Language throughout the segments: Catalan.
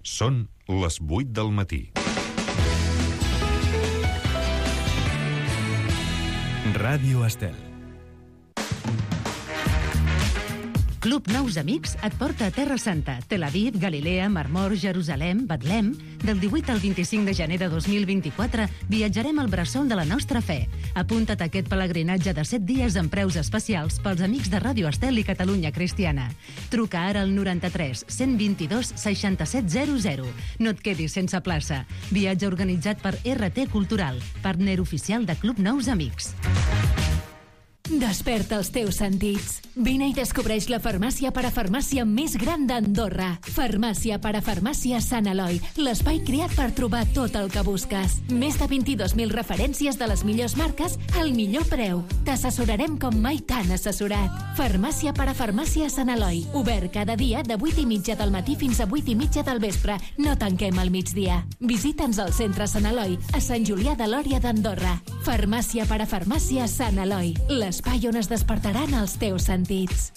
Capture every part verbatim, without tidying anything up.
Són les vuit del matí. Ràdio Estel. Club Nous Amics et porta a Terra Santa, Tel Aviv, Galilea, Mar Mor, Jerusalem, Betlem. Del divuit al vint-i-cinc de gener de dos mil vint-i-quatre viatjarem al bressol de la nostra fe. Apunta't a aquest pelegrinatge de set dies amb preus especials pels amics de Ràdio Estel i Catalunya Cristiana. Truca ara al noranta-tres cent vint-i-dos seixanta-set zero zero. No et quedis sense plaça. Viatge organitzat per R T Cultural, partner oficial de Club Nous Amics. Desperta els teus sentits. Vine i descobreix la farmàcia parafarmàcia més gran d'Andorra. Farmàcia parafarmàcia Sant Eloi, l'espai creat per trobar tot el que busques. Més de vint-i-dos mil referències de les millors marques al millor preu. T'assessorarem com mai t'han assessorat. Farmàcia parafarmàcia Sant Eloi, obert cada dia de vuit i mitja del matí fins a vuit i mitja del vespre. No tanquem al migdia. Visita'ns al centre Sant Eloi, a Sant Julià de Lòria d'Andorra. Farmàcia parafarmàcia Sant Eloi, l'espai on es despertaran els teus sentits.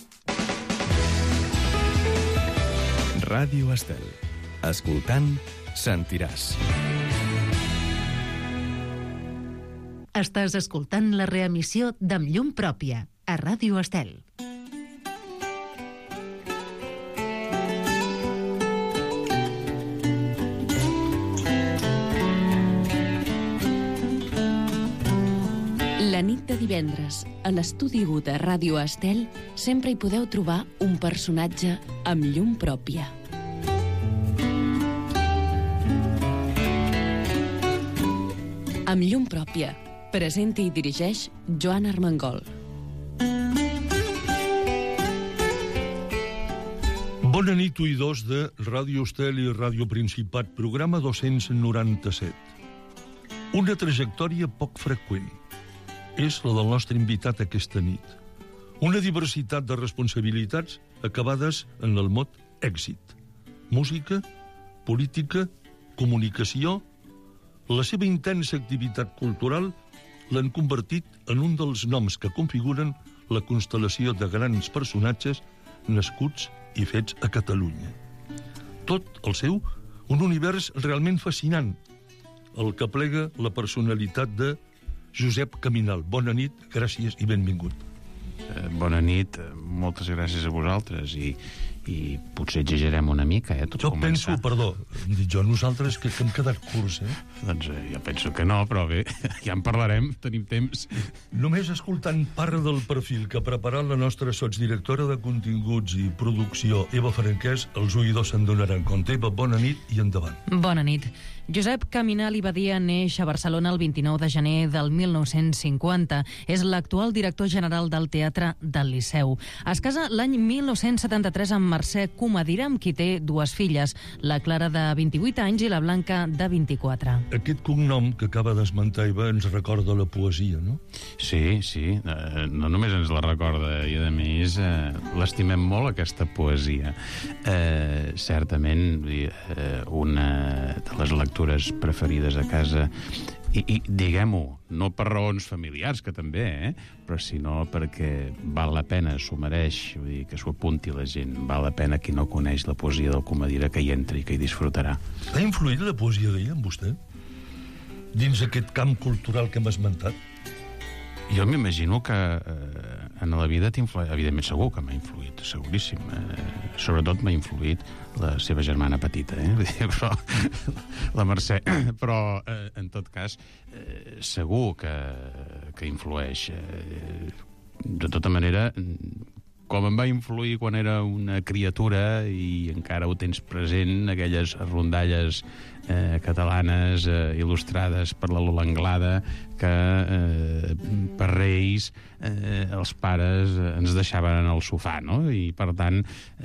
Ràdio Estel. Escoltant, sentiràs. Estàs escoltant la reemissió d'Amb llum pròpia, a Ràdio Estel. La nit de divendres, a l'estudi u de Ràdio Estel, sempre hi podeu trobar un personatge amb llum pròpia. Amb llum pròpia, presenta i dirigeix Joan Armengol. Bona nit, oïdors de Ràdio Estel i Ràdio Principat, programa dos-cents noranta-set. Una trajectòria poc freqüent és la del nostre invitat aquesta nit. Una diversitat de responsabilitats acabades en el mot èxit. Música, política, comunicació. La seva intensa activitat cultural l'han convertit en un dels noms que configuren la constel·lació de grans personatges nascuts i fets a Catalunya. Tot el seu, un univers realment fascinant, el que plega la personalitat de Josep Caminal. Bona nit, gràcies i benvingut. Eh, bona nit, moltes gràcies a vosaltres i, i potser exagerem una mica, eh? Tot jo començar. penso, perdó, hem dit jo, nosaltres que, que hem quedat curts, eh? Doncs eh, jo penso que no, però bé, ja en parlarem, tenim temps. Només escoltant part del perfil que ha preparat la nostra sotsdirectora de continguts i producció, Eva Franquès, els oïdors se'n donaran compte. Eva, bona nit i endavant. Bona nit. Josep Caminal i Badia neix a Barcelona el vint-i-nou de gener del mil nou-cents cinquanta. És l'actual director general del Teatre del Liceu. Es casa l'any mil nou-cents setanta-tres amb Mercè Comadira, amb qui té dues filles, la Clara de vint-i-vuit anys i la Blanca de vint-i-quatre. Aquest cognom que acaba d'esmentar Eva ens recorda la poesia, no? Sí, sí, eh, no només ens la recorda, i a més eh, l'estimem molt, aquesta poesia. Eh, certament, eh, una de les lectures preferides a casa, i, i diguem-ho, no per raons familiars, que també, eh? Però sinó perquè val la pena, s'ho mereix, vull dir, que s'ho apunti la gent, val la pena qui no coneix la poesia del Comadira que hi entri i que hi disfrutarà. Ha influït la poesia d'ella en vostè? Dins aquest camp cultural que hem esmentat? Jo m'imagino que eh, en la vida t'influït, evidentment segur que m'ha influït, seguríssim. Eh, sobretot m'ha influït la seva germana petita, eh? Però, la Mercè. Però, eh, en tot cas, eh, segur que, que influeix. Eh, de tota manera, com em va influir quan era una criatura i encara ho tens present, aquelles rondalles eh, catalanes eh, il·lustrades per la Lola Anglada que eh, per Reis eh, els pares eh, ens deixaven al sofà, no? I per tant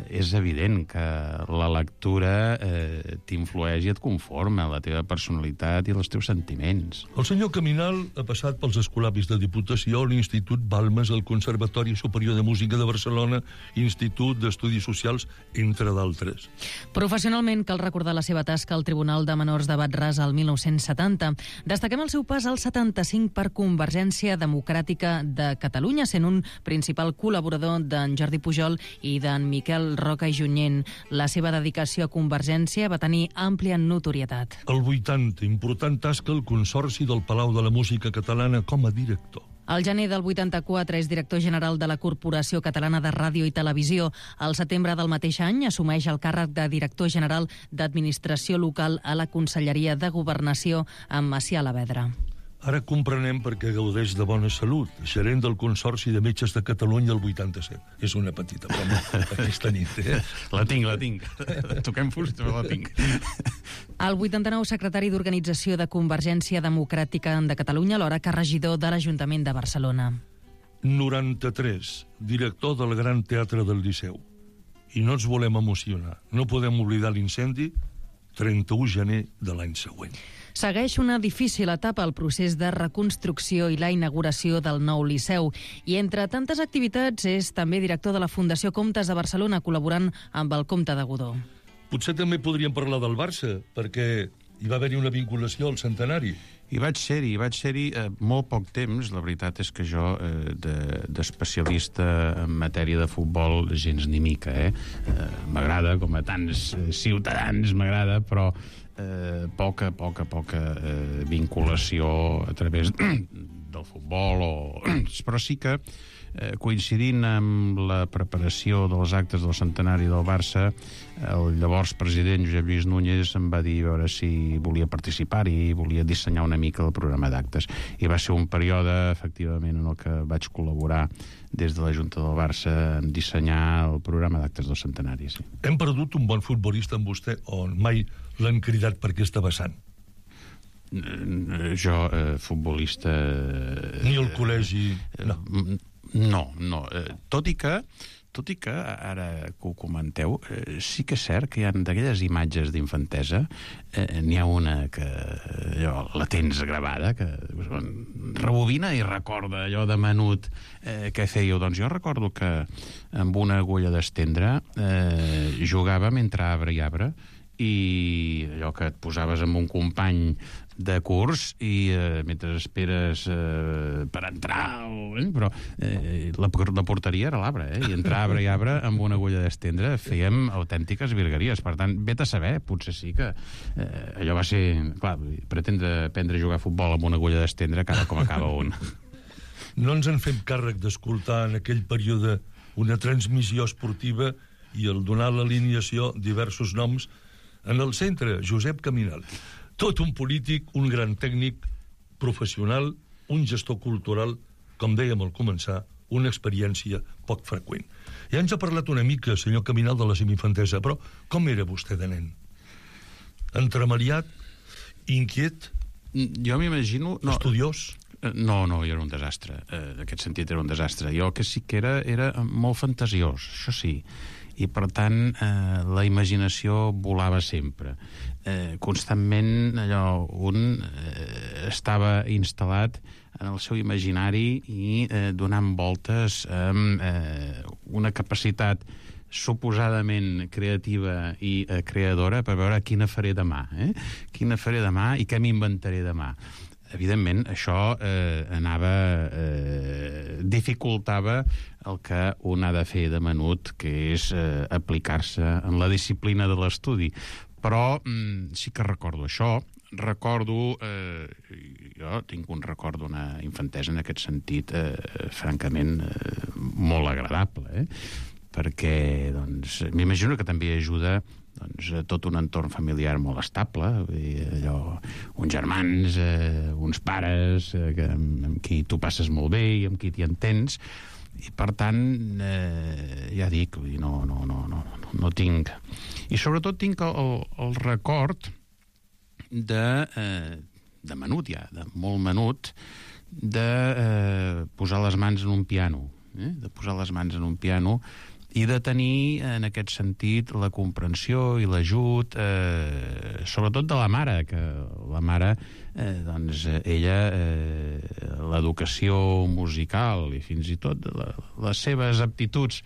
és evident que la lectura eh, t'influeix i et conforma la teva personalitat i els teus sentiments. El senyor Caminal ha passat pels escolapis de Diputació, l'Institut Balmes, el Conservatori Superior de Música de Barcelona, Barcelona, Institut d'Estudis Socials, entre d'altres. Professionalment, cal recordar la seva tasca al Tribunal de Menors de Bat-ras al mil nou-cents setanta. Destaquem el seu pas al setanta-cinc per Convergència Democràtica de Catalunya, sent un principal col·laborador d'en Jordi Pujol i d'en Miquel Roca i Junyent. La seva dedicació a Convergència va tenir àmplia notorietat. El vuitanta, important tasca al Consorci del Palau de la Música Catalana com a director. Al gener del vuitanta-quatre és director general de la Corporació Catalana de Ràdio i Televisió. Al setembre del mateix any assumeix el càrrec de director general d'Administració Local a la Conselleria de Governació amb Macià Alavedra. Ara comprenem per què gaudeix de bona salut, gerent del Consorci de Metges de Catalunya el vuitanta-set. És una petita broma aquesta nit, eh? La tinc, la tinc. Toquem fusta, però la tinc. El vuitanta-nou, secretari d'Organització de Convergència Democràtica de Catalunya, alhora que regidor de l'Ajuntament de Barcelona. noranta-tres, director del Gran Teatre del Liceu. I no ens volem emocionar. No podem oblidar l'incendi, trenta-u de gener de l'any següent. Segueix una difícil etapa al procés de reconstrucció i la inauguració del nou Liceu. I entre tantes activitats és també director de la Fundació Comtes de Barcelona, col·laborant amb el Comte de Godó. Potser també podríem parlar del Barça, perquè hi va haver-hi una vinculació al centenari. I vaig ser-hi, vaig ser-hi eh, molt poc temps. La veritat és que jo, eh, de, d'especialista en matèria de futbol, gens ni mica, eh? eh m'agrada, com a tants ciutadans m'agrada, però eh, poca, poca, poca eh, vinculació a través del futbol, o... però sí que eh, coincidint amb la preparació dels actes del centenari del Barça, el llavors president Josep Lluís Núñez em va dir a veure si volia participar i volia dissenyar una mica el programa d'actes. I va ser un període, efectivament, en el que vaig col·laborar des de la Junta del Barça en dissenyar el programa d'actes del centenari. Sí. Hem perdut un bon futbolista amb vostè o mai l'han cridat per aquesta vessant? Jo, eh, futbolista... Ni el col·legi... No, no. no. Tot i que, tot i que ara que ho comenteu, eh, sí que és cert que hi ha d'aquelles imatges d'infantesa, eh, n'hi ha una que allò, la tens gravada, que rebobina i recorda allò de menut eh, que fèieu. Doncs jo recordo que amb una agulla d'estendre eh, jugàvem entre arbre i arbre, i allò que et posaves amb un company de curs i eh, mentre esperes eh, per entrar o, eh, però eh, la, la porteria era l'arbre, eh? I entre arbre i arbre amb una agulla d'estendre fèiem autèntiques virgueries. Per tant, vet a saber, potser sí que eh, allò va ser, clar, pretendre aprendre a jugar a futbol amb una agulla d'estendre cada com acaba un. No ens en fem càrrec d'escoltar en aquell període una transmissió esportiva i el donar l'alineació diversos noms. En el centre, Josep Caminal. Tot un polític, un gran tècnic, professional, un gestor cultural, com dèiem al començar, una experiència poc freqüent. Ja ens ha parlat una mica, senyor Caminal, de la seva infantesa, però com era vostè de nen? Entremaliat? Inquiet? Jo m'imagino... No, estudiós? No, no, jo era un desastre. En aquest sentit era un desastre. Jo que sí que era, era molt fantasiós, això sí. I, per tant, eh, la imaginació volava sempre. Eh, constantment, allò, un eh, estava instal·lat en el seu imaginari i eh, donant voltes amb eh, una capacitat suposadament creativa i eh, creadora per veure quina faré demà, eh? Quina faré demà i què m'inventaré demà. Evidentment, això eh, anava... Eh, dificultava el que un ha de fer de menut, que és eh, aplicar-se en la disciplina de l'estudi. Però mm, sí que recordo això. Recordo... Eh, jo tinc un record d'una infantesa en aquest sentit eh, francament eh, molt agradable, eh? Perquè, doncs, m'imagino que també ajuda doncs, tot un entorn familiar molt estable, allò, uns germans, eh, uns pares eh, que, amb, amb qui tu passes molt bé i amb qui t'hi entens, i per tant eh, ja dic, no, no, no, no, no tinc, i sobretot tinc el, el record de, eh, de menut ja, de molt menut, de eh, posar les mans en un piano, eh? de posar les mans en un piano i de tenir, en aquest sentit, la comprensió i l'ajut, eh, sobretot de la mare, que la mare, eh, doncs, ella, eh, l'educació musical i fins i tot la, les seves aptituds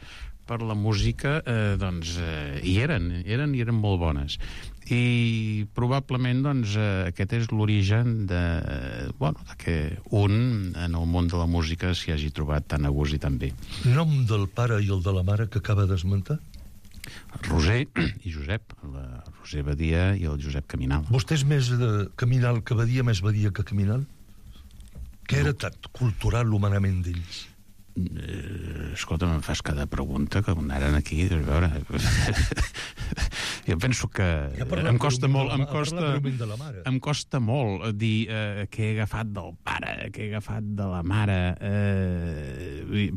per la música, eh, doncs, eh, hi eren, eren i eren molt bones. I probablement, doncs, eh, aquest és l'origen de, bueno, de que un, en el món de la música, s'hi hagi trobat tan a gust i tan bé. Nom del pare i el de la mare que acaba d'esmentar? Roser i Josep, la Roser Badia i el Josep Caminal. Vostè és més de Caminal que Badia, més Badia que Caminal? Què era tan cultural humanament d'ells? Eh, escolta, me'n fas cada pregunta que anaren aquí, a veure... jo penso que ja em costa molt em la, costa, em costa molt dir eh, què he agafat del pare, què he agafat de la mare. Eh,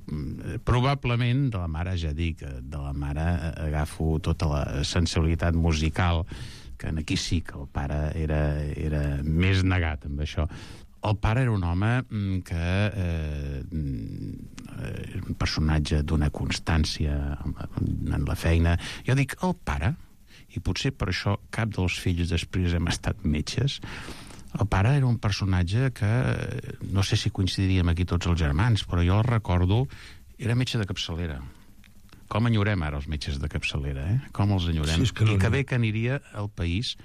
probablement de la mare, ja dic, de la mare agafo tota la sensibilitat musical, que aquí sí que el pare era, era més negat amb això. El pare era un home que eh, era un personatge d'una constància en la feina. Jo dic, el pare, i potser per això cap dels fills després hem estat metges, el pare era un personatge que, no sé si coincidiríem aquí tots els germans, però jo el recordo, era metge de capçalera. Com enyorem ara els metges de capçalera, eh? Com els enyorem. Sí, que no, I que bé que aniria al país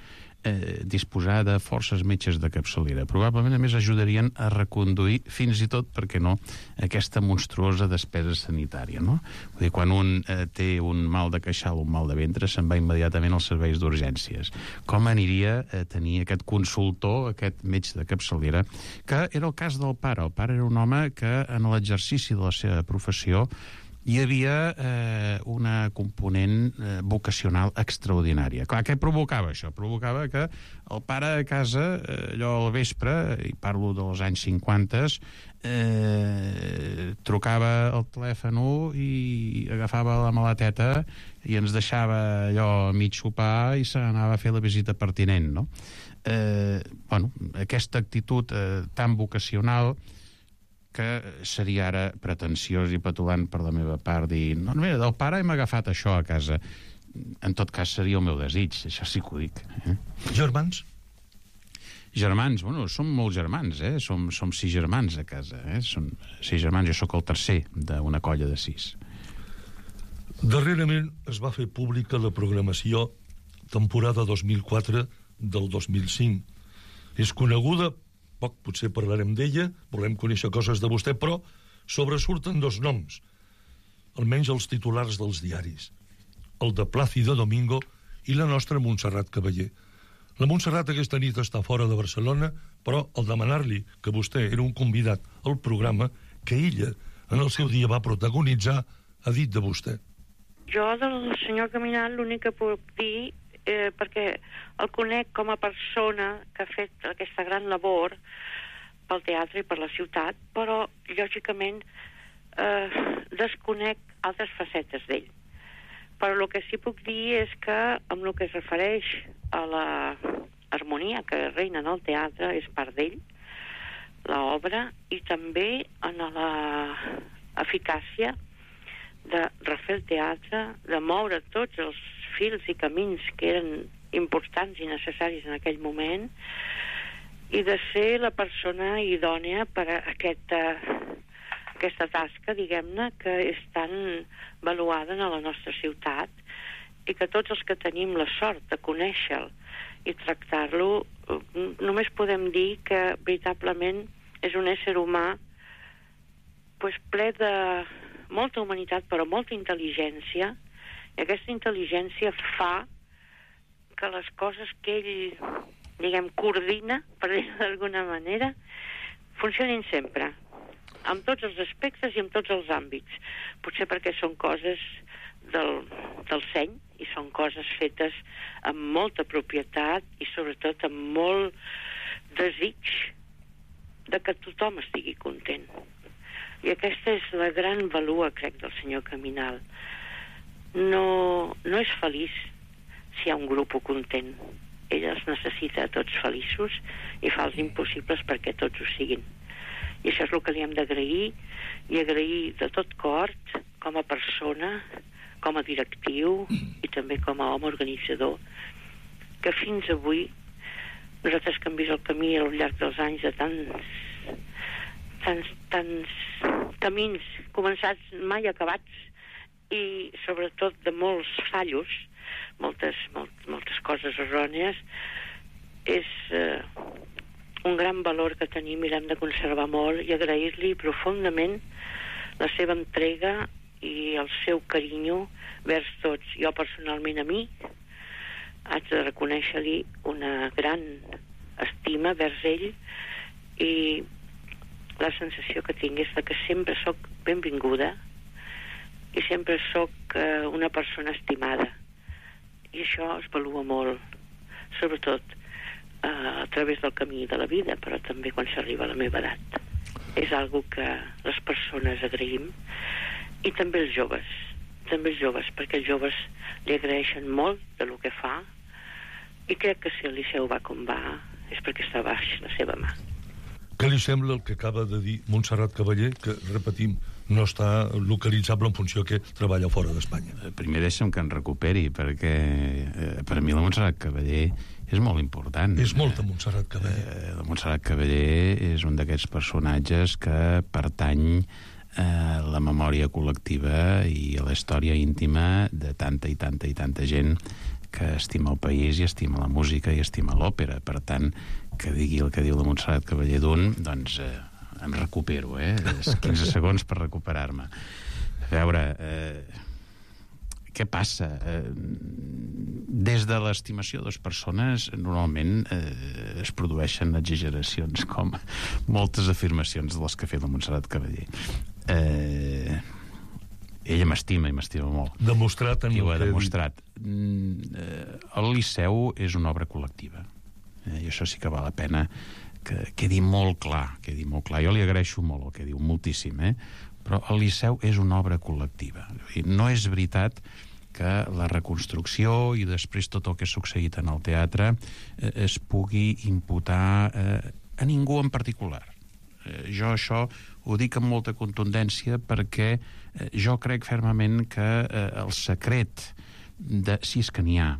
eh, disposar de forces metges de capçalera. Probablement, a més, ajudarien a reconduir, fins i tot, per què no, aquesta monstruosa despesa sanitària, no? Vull dir, quan un eh, té un mal de queixal o un mal de ventre, se'n va immediatament als serveis d'urgències. Com aniria a tenir aquest consultor, aquest metge de capçalera, que era el cas del pare. El pare era un home que, en l'exercici de la seva professió, hi havia eh, una component eh, vocacional extraordinària. Clar, què provocava això? Provocava que el pare a casa, eh, allò al vespre, i parlo dels anys cinquanta, eh, trucava el telèfon i agafava la maleteta i ens deixava allò a mig sopar i se n'anava a fer la visita pertinent, no? Eh, bueno, aquesta actitud eh, tan vocacional que seria ara pretensiós i petulant per la meva part dir, no, mira, del pare hem agafat això a casa. En tot cas seria el meu desig, això sí que ho dic. Eh? Germans? Germans, bueno, som molts germans, eh? Som, som sis germans a casa, eh? Som sis germans, jo sóc el tercer d'una colla de sis. Darrerament es va fer pública la programació temporada dos mil quatre del dos mil cinc. És coneguda, poc potser parlarem d'ella, volem conèixer coses de vostè, però sobresurten dos noms, almenys els titulars dels diaris, el de Plácido Domingo i la nostra Montserrat Caballé. La Montserrat aquesta nit està fora de Barcelona, però al demanar-li que vostè era un convidat al programa que ella, en el seu dia, va protagonitzar, ha dit de vostè. Jo del senyor Caminal l'únic que puc dir, eh, perquè el conec com a persona que ha fet aquesta gran labor pel teatre i per la ciutat, però lògicament eh, desconec altres facetes d'ell. Però el que sí puc dir és que amb el que es refereix a la harmonia que reina en el teatre és part d'ell, l'obra, i també en la eficàcia de refer el teatre, de moure tots els fils i camins que eren importants i necessaris en aquell moment, i de ser la persona idònia per a aquesta, aquesta tasca, diguem-ne, que és tan valuada en la nostra ciutat, i que tots els que tenim la sort de conèixer-lo i tractar-lo, només podem dir que veritablement és un ésser humà pues, ple de molta humanitat, però molta intel·ligència, i aquesta intel·ligència fa que les coses que ell, diguem, coordina, per dir-ho d'alguna manera, funcionin sempre, amb tots els aspectes i amb tots els àmbits. Potser perquè són coses del, del seny, i són coses fetes amb molta propietat i sobretot amb molt desig de que tothom estigui content. I aquesta és la gran valua, crec, del senyor Caminal. No, no és feliç si hi ha un grup content. Ell els necessita a tots feliços i fa els impossibles perquè tots ho siguin. I això és el que li hem d'agrair, i agrair de tot cor, com a persona, com a directiu i també com a home organitzador, que fins avui nosaltres que hem vist el camí al llarg dels anys de tants tants, tants camins començats mai acabats i sobretot de molts fallos, moltes, molt, moltes coses errònies, és eh, un gran valor que tenim i l'hem de conservar molt i agrair-li profundament la seva entrega i el seu carinyo vers tots. Jo personalment a mi haig de reconèixer-li una gran estima vers ell i la sensació que tinc és que sempre sóc benvinguda i sempre sóc eh, una persona estimada i això es valua molt, sobretot eh, a través del camí de la vida, però també quan s'arriba a la meva edat. És algo que les persones agraïm i també els joves, també els joves, perquè els joves li agraeixen molt de lo que fa i crec que si el Liceu va com va és perquè està baix la seva mà. Què li sembla el que acaba de dir Montserrat Cavaller, que, repetim, no està localitzable en funció que treballa fora d'Espanya? Primer deixa'm que en recuperi, perquè eh, per a mi la Montserrat Cavaller és molt important. És molta Montserrat Cavaller. Eh, la Montserrat Cavaller és un d'aquests personatges que pertany a la memòria col·lectiva i a la història íntima de tanta i tanta i tanta gent que estima el país i estima la música i estima l'òpera. Per tant, que digui el que diu la Montserrat Cavaller d'un, doncs eh, em recupero, eh? És quinze segons per recuperar-me. A veure, eh, què passa? Eh, des de l'estimació de les persones, normalment eh, es produeixen exageracions, com moltes afirmacions de les que ha fet la Montserrat Cavaller. Eh, ella m'estima i m'estima molt. Demostrat en I ho ha el que demostrat. Mm, eh, el Liceu és una obra col·lectiva. Eh, I això sí que val la pena que quedi molt clar, quedi molt clar. Jo li agraeixo molt el que diu, moltíssim, eh? Però el Liceu és una obra col·lectiva. I no és veritat que la reconstrucció i després tot el que ha succeït en el teatre eh, es pugui imputar eh, a ningú en particular. Eh, jo això ho dic amb molta contundència perquè eh, jo crec fermament que eh, el secret, de, si és que n'hi ha,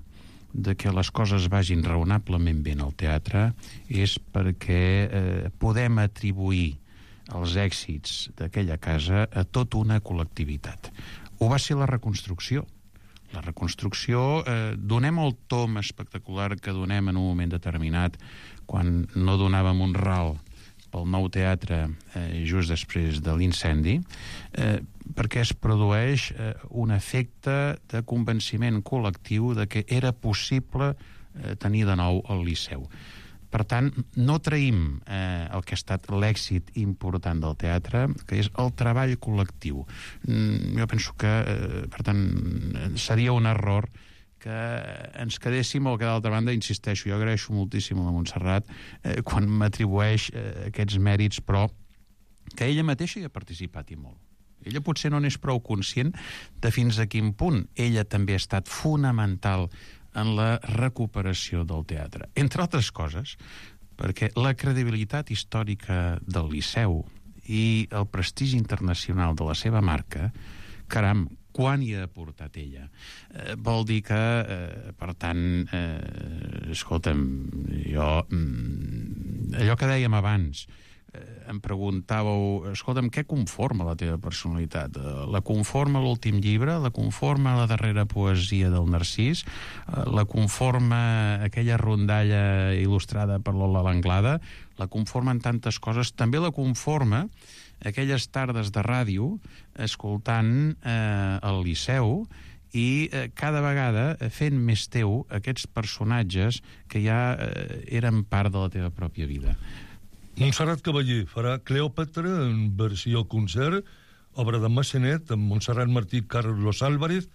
de que les coses vagin raonablement bé en el teatre és perquè eh, podem atribuir els èxits d'aquella casa a tota una col·lectivitat. Ho va ser la reconstrucció. La reconstrucció, eh, donem el tom espectacular que donem en un moment determinat quan no donàvem un ral pel nou teatre eh, just després de l'incendi, eh, perquè es produeix eh, un efecte de convenciment col·lectiu de que era possible eh, tenir de nou el Liceu. Per tant, no traïm eh, el que ha estat l'èxit important del teatre, que és el treball col·lectiu. Mm, jo penso que, eh, per tant, seria un error que ens quedéssim, o que d'altra banda, insisteixo, jo agraeixo moltíssim a la Montserrat eh, quan m'atribueix eh, aquests mèrits, però que ella mateixa hi ha participat i molt. Ella potser no n'és prou conscient de fins a quin punt ella també ha estat fonamental en la recuperació del teatre. Entre altres coses, perquè la credibilitat històrica del Liceu i el prestigi internacional de la seva marca, caram, quan hi ha aportat ella? Eh, vol dir que, eh, per tant, eh, escolta'm, jo, mm, allò que dèiem abans, eh, em preguntàveu, escolta'm, què conforma la teva personalitat? Eh, la conforma l'últim llibre? La conforma la darrera poesia del Narcís? Eh, la conforma aquella rondalla il·lustrada per l'Ola Langlada? La conformen tantes coses. També la conforma aquelles tardes de ràdio escoltant eh, el Liceu i eh, cada vegada fent més teu aquests personatges que ja eh, eren part de la teva pròpia vida. Montserrat Cavaller farà Cleòpatra en versió concert, obra de Massanet, amb Montserrat Martí i Carlos Álvarez,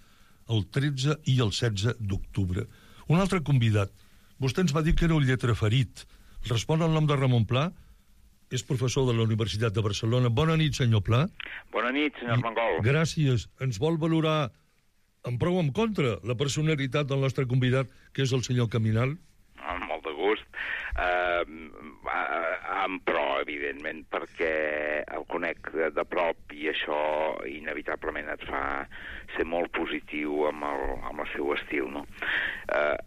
el tretze i el setze d'octubre. Un altre convidat. Vostè ens va dir que era un lletraferit. Respon al nom de Ramon Pla? És professor de la Universitat de Barcelona. Bona nit, senyor Pla. Bona nit, senyor Mangol. Gràcies. Ens vol valorar en prou o en contra la personalitat del nostre convidat, que és el senyor Caminal? Amb molt de gust. gust, eh, en pro, evidentment, perquè el conec de, de prop i això inevitablement et fa ser molt positiu amb el, amb el seu estil, no? Eh,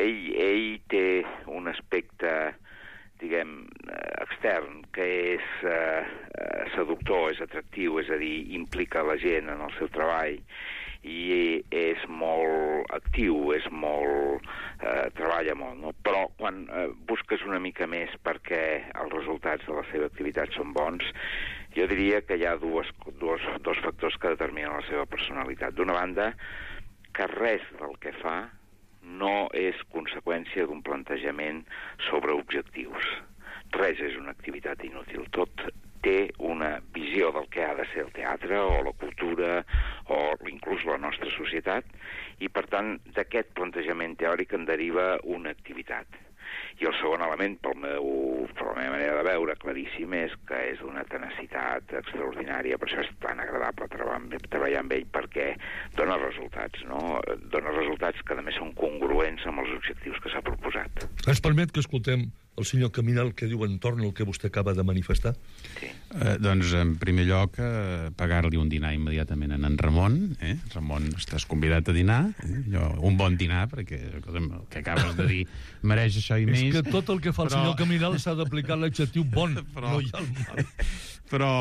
ell, ell té un aspecte, diguem, extern, que és eh, seductor, és atractiu, és a dir, implica la gent en el seu treball, i és molt actiu, és molt... Eh, treballa molt, no? Però quan eh, busques una mica més perquè els resultats de la seva activitat són bons, jo diria que hi ha dues, dues, dos factors que determinen la seva personalitat. D'una banda, que res del que fa no és conseqüència d'un plantejament sobre objectius. Res és una activitat inútil. Tot té una visió del que ha de ser el teatre o la cultura o inclús la nostra societat i, per tant, d'aquest plantejament teòric en deriva una activitat. I el segon element, pel meu, per la meva manera de veure, claríssim, és que és d'una tenacitat extraordinària. Per això és tan agradable treballar amb, treballar amb ell, perquè dona resultats, no? Dona resultats que, a més, són congruents amb els objectius que s'ha proposat. Ens permet que escoltem el senyor Caminal que diu entorn al que vostè acaba de manifestar? Sí. Eh, doncs, en primer lloc, eh, pagar-li un dinar immediatament a en Ramon. Eh? Ramon, estàs convidat a dinar. Eh? Jo, un bon dinar, perquè el que acabes de dir mereix això i més. És que tot el que fa el però... senyor Caminal s'ha d'aplicar l'adjectiu bon, però... no hi ha el mal. Però,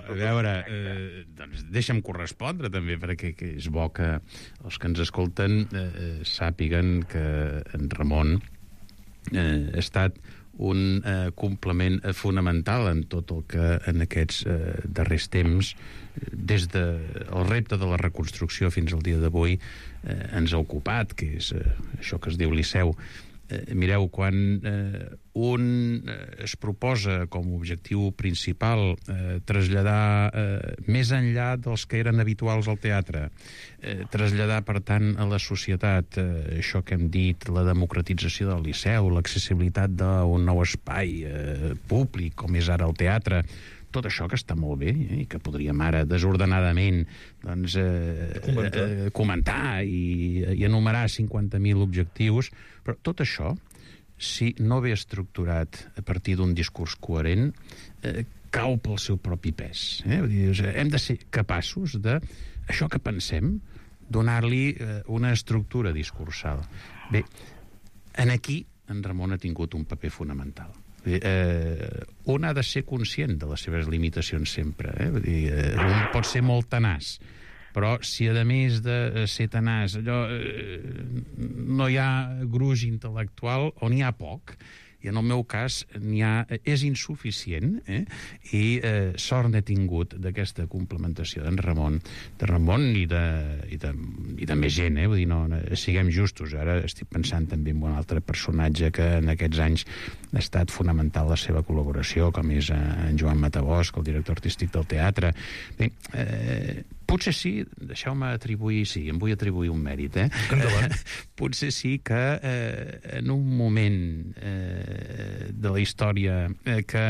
a veure, eh, doncs deixa'm correspondre també, perquè que és bo que els que ens escolten eh, sàpiguen que en Ramon eh, ha estat un eh, complement eh, fonamental en tot el que en aquests eh, darrers temps, des del de, el repte de la reconstrucció fins al dia d'avui, eh, ens ha ocupat, que és eh, això que es diu Liceu. Eh, mireu, quan eh, un eh, es proposa com a objectiu principal eh, traslladar eh, més enllà dels que eren habituals al teatre, eh, traslladar, per tant, a la societat eh, això que hem dit, la democratització del Liceu, l'accessibilitat d'un nou espai eh, públic, com és ara el teatre, tot això que està molt bé eh, i que podríem ara desordenadament doncs, eh, comentar, eh, comentar i, i enumerar cinquanta mil objectius, però tot això, si no ve estructurat a partir d'un discurs coherent, eh, cau pel seu propi pes. Eh? Vull dir, hem de ser capaços de, això que pensem, donar-li eh, una estructura discursal. Bé, en aquí en Ramon ha tingut un paper fonamental. Eh, un ha de ser conscient de les seves limitacions sempre, eh? Vull dir, eh, un pot ser molt tenaç, però si a més de ser tenaç allò, eh, no hi ha gruix intel·lectual o n'hi ha poc, i en el meu cas n'hi ha, és insuficient, eh? I eh, sort n'he tingut d'aquesta complementació d'en Ramon, de Ramon i de, i de, i de més gent, eh? Vull dir, no, siguem justos. Ara estic pensant també en un altre personatge que en aquests anys ha estat fonamental la seva col·laboració, com és en Joan Matabosc, el director artístic del teatre. Bé, eh, potser sí, deixeu-me atribuir, sí, em vull atribuir un mèrit, eh? Endavant. Potser sí que eh, en un moment eh, de la història eh, que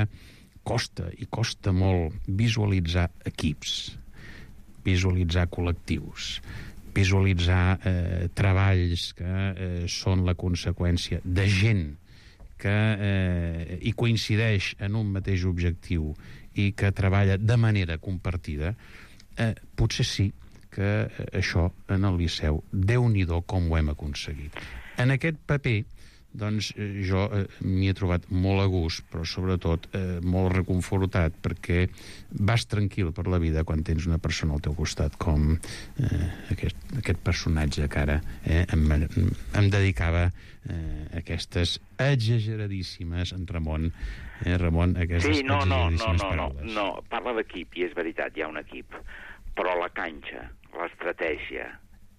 costa, i costa molt, visualitzar equips, visualitzar col·lectius, visualitzar eh, treballs que eh, són la conseqüència de gent que eh, hi coincideix en un mateix objectiu i que treballa de manera compartida, eh, potser sí que eh, això en el Liceu, Déu-n'hi-do com ho hem aconseguit. En aquest paper, doncs, eh, jo eh, m'hi he trobat molt a gust, però sobretot eh, molt reconfortat, perquè vas tranquil per la vida quan tens una persona al teu costat com eh, aquest, aquest personatge que ara eh, em, em dedicava eh, aquestes exageradíssimes, en Ramon, eh, Ramon, aquestes sí, no, no, no, exageradíssimes no, paraules. no, no, parla d'equip, i és veritat, hi ha un equip, però la canxa, l'estratègia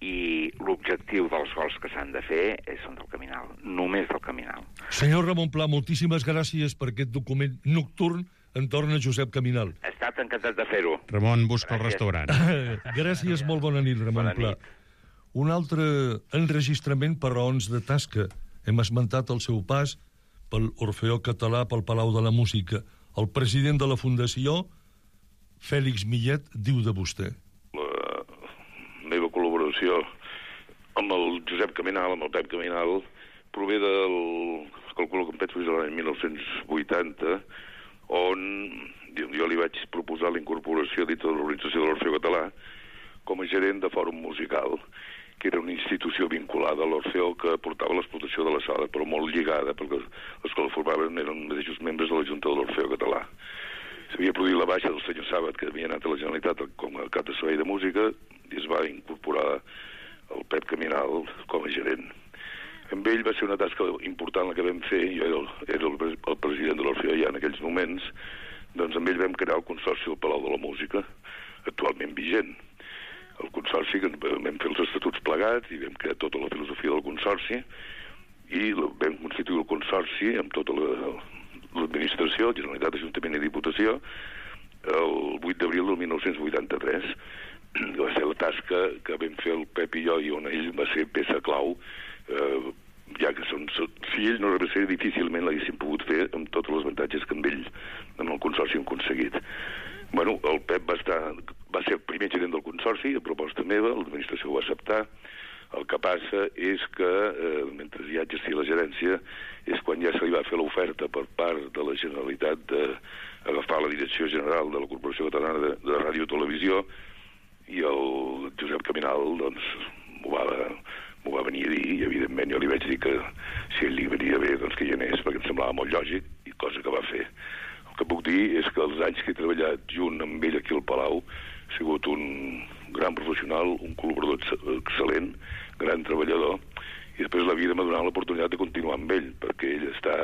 i l'objectiu dels gols que s'han de fer són del Caminal, només del Caminal. Senyor Ramon Pla, moltíssimes gràcies per aquest document nocturn entorn a Josep Caminal. He estat encantat de fer-ho. Ramon, busca Gràcies. el restaurant. Gràcies, molt bona nit, Ramon Bona Pla. nit. Un altre enregistrament per raons de tasca. Hem esmentat el seu pas pel Orfeó Català, pel Palau de la Música. El president de la Fundació, Fèlix Millet, diu de vostè. La meva col·laboració amb el Josep Caminal, amb el Pep Caminal, prové del calculo que em penso que és l'any mil nou-cents vuitanta, on jo li vaig proposar la incorporació dintre de l'Organització de l'Orfeó Català com a gerent de Fòrum Musical, que era una institució vinculada a l'Orfeó que portava l'explotació de la sala, però molt lligada, perquè els que la formaven eren mateixos membres de la Junta de l'Orfeó Català. S'havia produït la baixa del senyor Sàbat, que havia anat a la Generalitat com a cap de servei de música, i es va incorporar el Pep Caminal com a gerent. Amb ell va ser una tasca important la que vam fer, jo era el, era el, el president de l'Orfeó ja en aquells moments, doncs amb ell vam crear el Consorci del Palau de la Música, actualment vigent. El Consorci, que vam fer els estatuts plegats i vam crear tota la filosofia del Consorci, i vam constituir el Consorci amb tota l'administració, la Generalitat, Ajuntament i Diputació, el vuit d'abril del mil nou-cents vuitanta-tres. Va ser la tasca que vam fer el Pep i jo, i on ell va ser peça clau, eh, ja que són, si ell no rebés, difícilment l'haguéssim pogut fer amb tots els avantatges que amb ell, amb el Consorci, hem aconseguit. Bueno, el Pep va, estar, va ser el primer gerent del Consorci, a proposta meva, l'administració ho va acceptar. El que passa és que, eh, mentre ja exercia la gerència, és quan ja se li va fer l'oferta per part de la Generalitat d'agafar la direcció general de la Corporació Catalana de, de Ràdio i Televisió, i el Josep Caminal, doncs, m'ho va, m'ho va venir a dir, i evidentment jo li vaig dir que si ell li venia bé, doncs que hi anés, perquè em semblava molt lògic, i cosa que va fer. El que puc dir és que els anys que he treballat junt amb ell aquí al Palau ha sigut un gran professional, un col·laborador excel·lent, gran treballador, i després la vida m'ha donat l'oportunitat de continuar amb ell, perquè ell està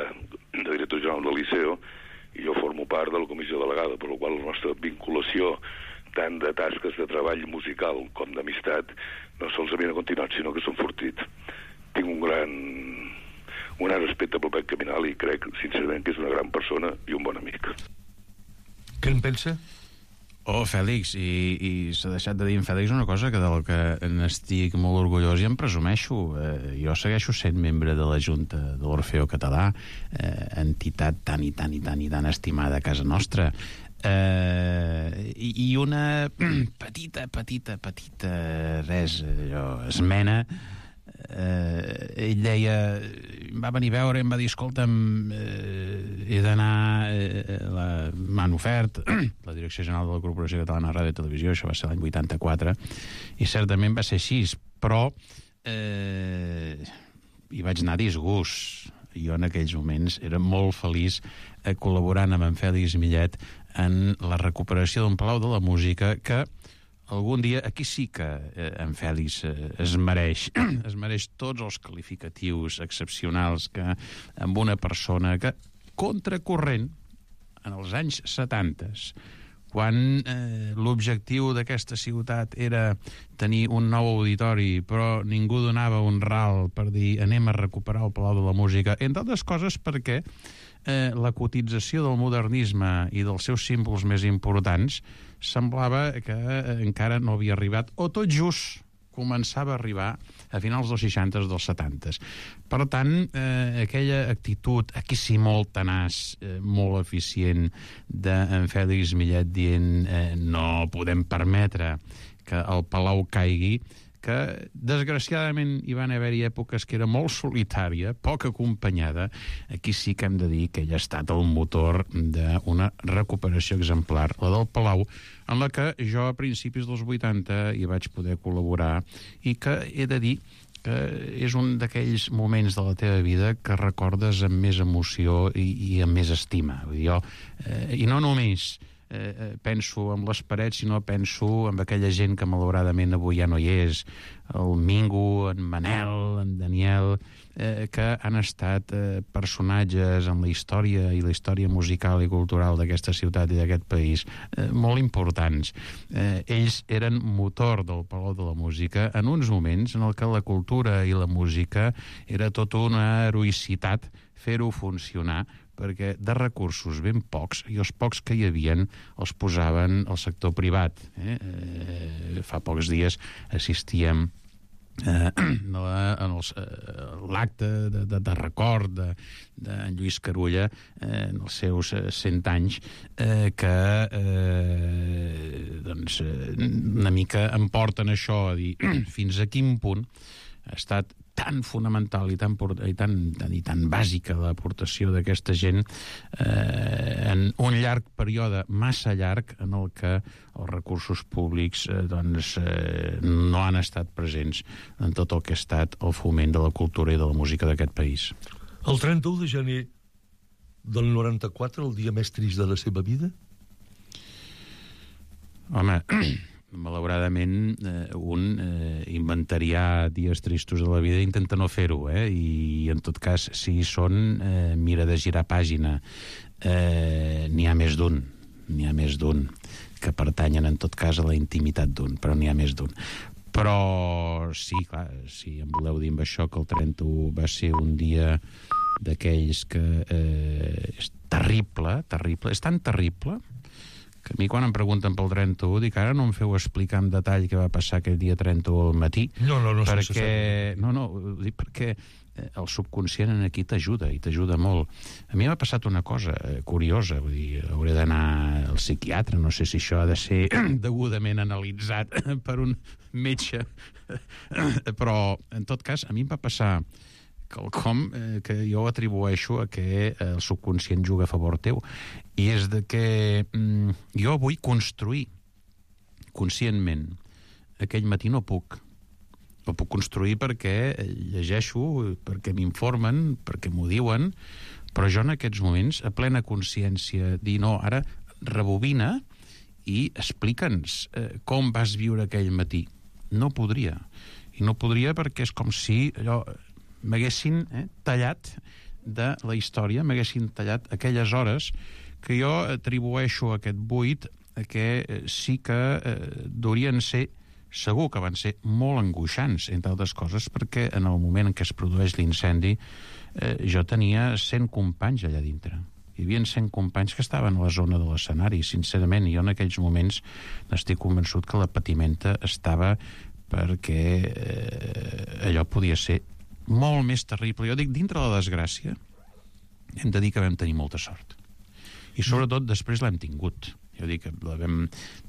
de director general del Liceo i jo formo part de la comissió delegada, per la qual la nostra vinculació tant de tasques de treball musical com d'amistat no solament ha continuat, sinó que s'ha enfortit. Tinc un gran un gran respecte pel Pep Caminal i crec, sincerament, que és una gran persona i un bon amic. Què en pensa? Oh, Fèlix, i, i s'ha deixat de dir en Fèlix una cosa que del que n'estic molt orgullós i em presumeixo. Eh, jo segueixo sent membre de la Junta de l'Orfeó Català, eh, entitat tan i tan i tan i tan estimada a casa nostra. Eh, i, i una petita, petita, petita res, allò, esmena. Eh, ell deia, va venir a veure i em va dir, escolta'm, eh, he d'anar, eh, la, m'han ofert la Direcció General de la Corporació Catalana de Ràdio i Televisió, això va ser l'any vuitanta-quatre, i certament va ser així, però eh, hi vaig anar a disgust. Jo en aquells moments era molt feliç eh, col·laborant amb en Fèlix Millet en la recuperació d'un Palau de la Música que algun dia, aquí sí que eh, en Fèlix eh, es mereix, es mereix tots els qualificatius excepcionals que amb una persona que, contracorrent, en els anys setanta, quan eh, l'objectiu d'aquesta ciutat era tenir un nou auditori, però ningú donava un ral per dir anem a recuperar el Palau de la Música, entre altres coses perquè eh, la cotització del modernisme i dels seus símbols més importants semblava que eh, encara no havia arribat, o tot just començava a arribar a finals dels seixanta, dels setanta. Per tant, eh, aquella actitud, aquí sí molt tenaç, eh, molt eficient, d'en Fèlix Millet dient eh, no podem permetre que el Palau caigui, que desgraciadament hi van haver-hi èpoques que era molt solitària, poc acompanyada. Aquí sí que hem de dir que ell ha estat el motor d'una recuperació exemplar, la del Palau, en la que jo a principis dels vuitanta hi vaig poder col·laborar i que he de dir que és un d'aquells moments de la teva vida que recordes amb més emoció i, i amb més estima. Vull dir, jo, eh, i no només Eh, penso en les parets, sinó penso en aquella gent que malauradament avui ja no hi és, el Mingo, en Manel, en Daniel, eh, que han estat eh, personatges en la història i la història musical i cultural d'aquesta ciutat i d'aquest país eh, molt importants. Eh, ells eren motor del Palau de la Música en uns moments en el que la cultura i la música era tota una heroïcitat fer-ho funcionar, perquè de recursos ben pocs, i els pocs que hi havien els posaven al sector privat. Eh? Eh, fa pocs dies assistíem eh, en l'acte de, de, de record de, de Lluís Carulla eh, en els seus cent anys, eh, que eh, doncs, una mica em porten això a dir fins a quin punt ha estat tan fonamental i tan, i tan, i tan bàsica l'aportació d'aquesta gent eh, en un llarg període massa llarg en el que els recursos públics eh, doncs, eh, no han estat presents en tot el que ha estat el foment de la cultura i de la música d'aquest país. El trenta-u de gener del noranta-quatre, el dia més trist de la seva vida? Home, malauradament, eh, un eh, inventariar dies tristos de la vida i intenta no fer-ho, eh? I en tot cas, si hi són, eh, mira de girar pàgina. Eh, n'hi ha més d'un, n'hi ha més d'un, que pertanyen en tot cas a la intimitat d'un, però n'hi ha més d'un. Però sí, clar, si em voleu dir amb això que el trenta-u va ser un dia d'aquells que eh, és terrible, terrible, és tan terrible que a mi quan em pregunten pel trenta-u dic ara no em feu explicar en detall què va passar aquell dia trenta-u al matí. No, no, no. Perquè, no, no, ho dic perquè el subconscient aquí t'ajuda i t'ajuda molt. A mi m'ha passat una cosa curiosa, vull dir, hauré d'anar al psiquiatre, no sé si això ha de ser degudament analitzat per un metge, però en tot cas a mi em va passar quelcom eh, que jo atribueixo a que el subconscient juga a favor teu, i és de que mm, jo vull construir conscientment. Aquell matí no puc. No puc construir perquè llegeixo, perquè m'informen, perquè m'ho diuen, però jo en aquests moments, a plena consciència, dir no, ara rebobina i explica'ns eh, com vas viure aquell matí. No podria. I no podria perquè és com si allò m'haguessin eh, tallat de la història, m'haguessin tallat aquelles hores que jo atribueixo a aquest buit a que eh, sí que eh, deurien ser, segur que van ser molt angoixants, entre altres coses, perquè en el moment en què es produeix l'incendi eh, jo tenia cent companys allà dintre. Hi havia cent companys que estaven a la zona de l'escenari, sincerament, i jo en aquells moments n'estic convençut que la patimenta estava perquè eh, allò podia ser molt més terrible. Jo dic, dintre de la desgràcia hem de dir que vam tenir molta sort. I sobretot després l'hem tingut. Jo dic que la vam,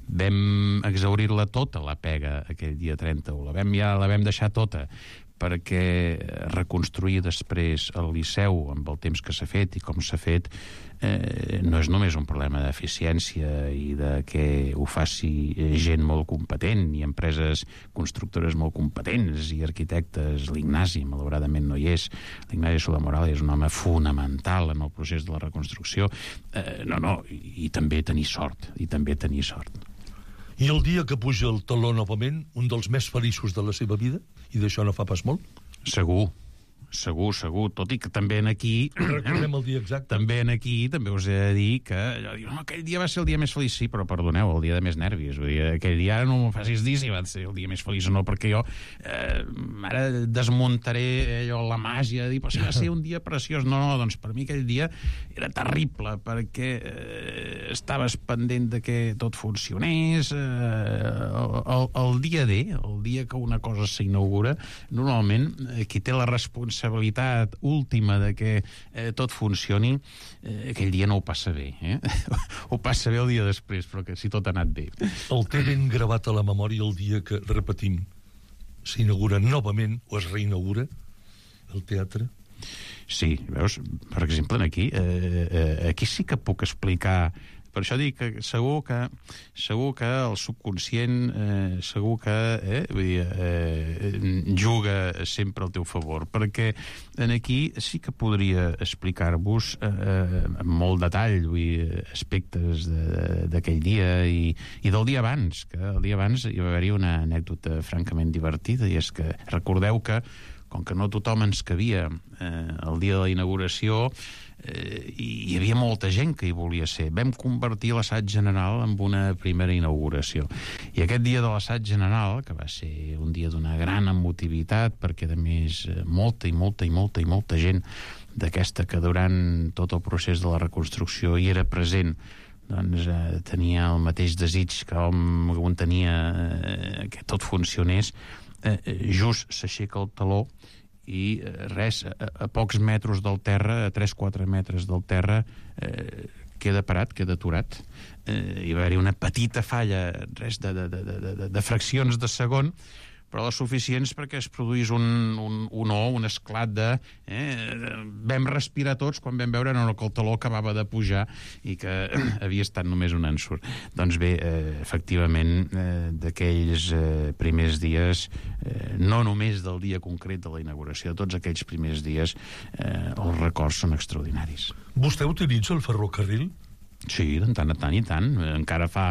vam exaurir-la tota, la pega, aquell dia trenta-u. La vam, ja la vam deixar tota, perquè reconstruir després el Liceu amb el temps que s'ha fet i com s'ha fet eh, no és només un problema d'eficiència i de que ho faci gent molt competent i empreses constructores molt competents i arquitectes. L'Ignasi, malauradament, no hi és. L'Ignasi Sola-Moral és un home fonamental en el procés de la reconstrucció. Eh, no, no, i, i també tenir sort, i també tenir sort. I el dia que puja el taló novament, un dels més feliços de la seva vida, i d'això no fa pas molt? Segur. Segur, segur, tot i que també en aquí... Recordem el dia exacte. També en aquí, també us he de dir que allò, no, aquell dia va ser el dia més feliç, sí, però perdoneu, el dia de més nervis. Vull dir, aquell dia ara no m'ho facis dir si va ser el dia més feliç o no, perquè jo eh, ara desmuntaré allò, la màgia, de dir, però si va ser un dia preciós. No, no, doncs per mi aquell dia era terrible, perquè eh, estaves pendent de que tot funcionés. Eh, el, el, el dia D, el dia que una cosa s'inaugura, normalment eh, qui té la responsabilitat responsabilitat última de que eh, tot funcioni, eh, aquell dia no ho passa bé. Eh? Ho passa bé el dia després, però que si tot ha anat bé. El té ben gravat a la memòria el dia que, repetim, s'inaugura novament, o es reinaugura, el teatre? Sí, veus? Per exemple, aquí, eh, eh, aquí sí que puc explicar. Per això dic que segur que, segur que el subconscient eh, segur que eh, vull dir, eh, juga sempre al teu favor, perquè en aquí sí que podria explicar-vos eh, amb molt detall, vull dir, aspectes d'aquell dia i, i del dia abans, que el dia abans hi va haver-hi una anècdota francament divertida, i és que recordeu que com que no tothom ens cabia eh, el dia de la inauguració, eh, hi havia molta gent que hi volia ser. Vam convertir l'assaig general en una primera inauguració. I aquest dia de l'assaig general, que va ser un dia d'una gran emotivitat, perquè a més molta i molta i molta i molta gent d'aquesta que durant tot el procés de la reconstrucció hi era present, doncs eh, tenia el mateix desig que hom, que tenia eh, que tot funcionés, eh, just s'aixeca el taló i eh, res, a, a pocs metres del terra, a tres a quatre metres del terra, eh, queda parat, queda aturat. Eh, hi va haver una petita falla, res de, de, de, de, de fraccions de segon, però les suficients perquè es produís un, un, un o, un esclat de... Eh, vam respirar tots quan vam veure no, que el taló acabava de pujar i que havia estat només un ensurt. Doncs bé, eh, efectivament, eh, d'aquells eh, primers dies, eh, no només del dia concret de la inauguració, de tots aquells primers dies, eh, els records són extraordinaris. Vostè utilitza el ferrocarril? Sí, de tant a tant i tant. Encara fa,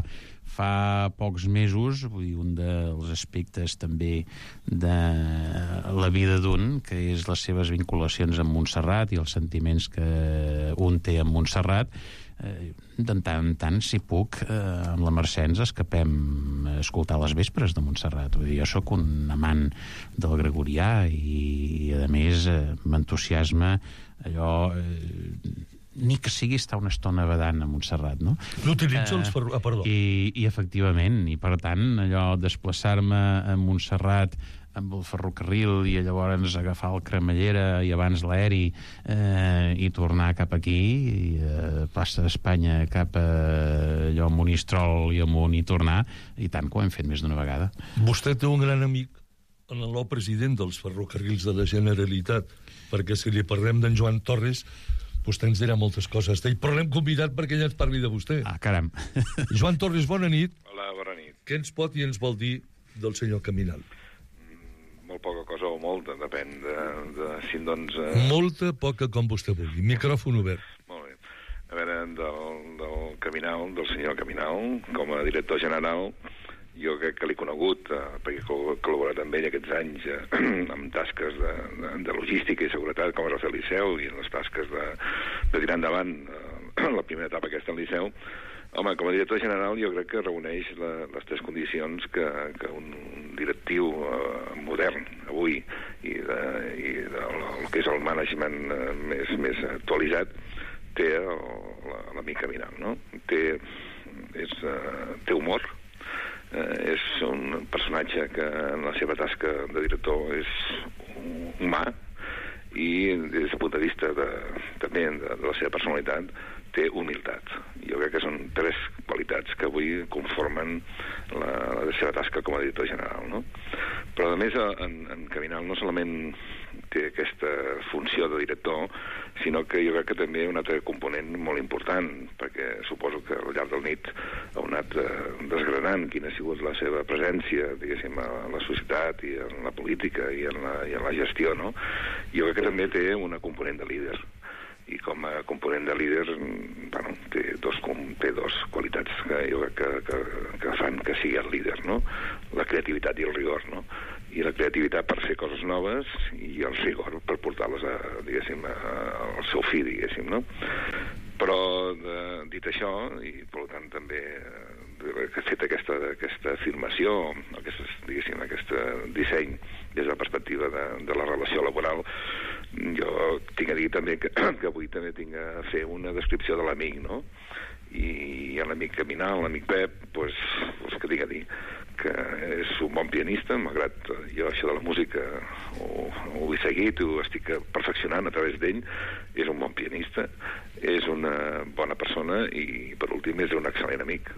fa pocs mesos, vull dir, un dels aspectes també de la vida d'un, que és les seves vinculacions amb Montserrat i els sentiments que un té amb Montserrat, eh, de tant en tant, si puc, eh, amb la Mercè ens escapem a escoltar les vespres de Montserrat. Vull dir, jo sóc un amant del gregorià i, i a més, eh, m'entusiasma allò... Eh, ni que sigui estar una estona badant a Montserrat, no? L'utilitzo els ferro... Ah, perdó. I, I, efectivament, i per tant, allò, desplaçar-me a Montserrat amb el ferrocarril i llavors agafar el cremallera i abans l'aeri eh, i tornar cap aquí, i, eh, plaça d'Espanya cap a allò, Monistrol i amunt i tornar, i tant que ho hem fet més d'una vegada. Vostè té un gran amic en el nou president dels ferrocarrils de la Generalitat, perquè si li parlem d'en Joan Torres... vostè ens dirà moltes coses d'ell, però l'hem convidat perquè ella ens parli de vostè. Ah, caram. Joan Torres, bona nit. Hola, bona nit. Què ens pot i ens vol dir del senyor Caminal? Mm, molt poca cosa o molta, depèn de, de si doncs... Eh... Molta, poca, com vostè vulgui. Micròfon obert. Molt bé. A veure, del, del Caminal, del senyor Caminal, com a director general, jo crec que l'he conegut, eh, perquè he col·laborat amb ell aquests anys eh, amb tasques de, de, de logística i seguretat, com és el Liceu, i en les tasques de, de tirar endavant eh, la primera etapa aquesta al Liceu. Home, com a director general jo crec que reuneix la, les tres condicions que, que un directiu eh, modern avui i, de, i de, el que és el management eh, més, més actualitzat té l'amic Caminal, no? Té, és, eh, té humor, Eh, és un personatge que en la seva tasca de director és humà i des del punt de vista de, també de, de la seva personalitat té humilitat. Jo crec que són tres qualitats que avui conformen la, la seva tasca com a director general, no? Però a més en, en Caminal no solament té aquesta funció de director, sinó que jo crec que també un altre component molt important, perquè suposo que al llarg del nit ha anat eh, desgranant quina ha sigut la seva presència, diguéssim, a la societat i en la política i en la, i en la gestió, no? Jo crec que també té una component de líder. I com a component de líder, bueno, té dos, té dos qualitats que jo crec que, que, que fan que sigui el líder, no? La creativitat i el rigor, no? I la creativitat per fer coses noves i el rigor per portar-les a, diguéssim, a, al seu fi, diguéssim, no? Però, de, dit això, i per tant també que ha fet aquesta, aquesta afirmació, aquesta, diguéssim, aquest disseny des de la perspectiva de, de la relació laboral, jo tinc a dir també que, que avui també tinc a fer una descripció de l'amic, no? I l'amic Caminal, l'amic Pep, doncs, pues, que tinc a dir que és un bon pianista, malgrat jo això de la música ho, ho he seguit, ho estic perfeccionant a través d'ell, és un bon pianista, és una bona persona i, per últim, és un excel·lent amic.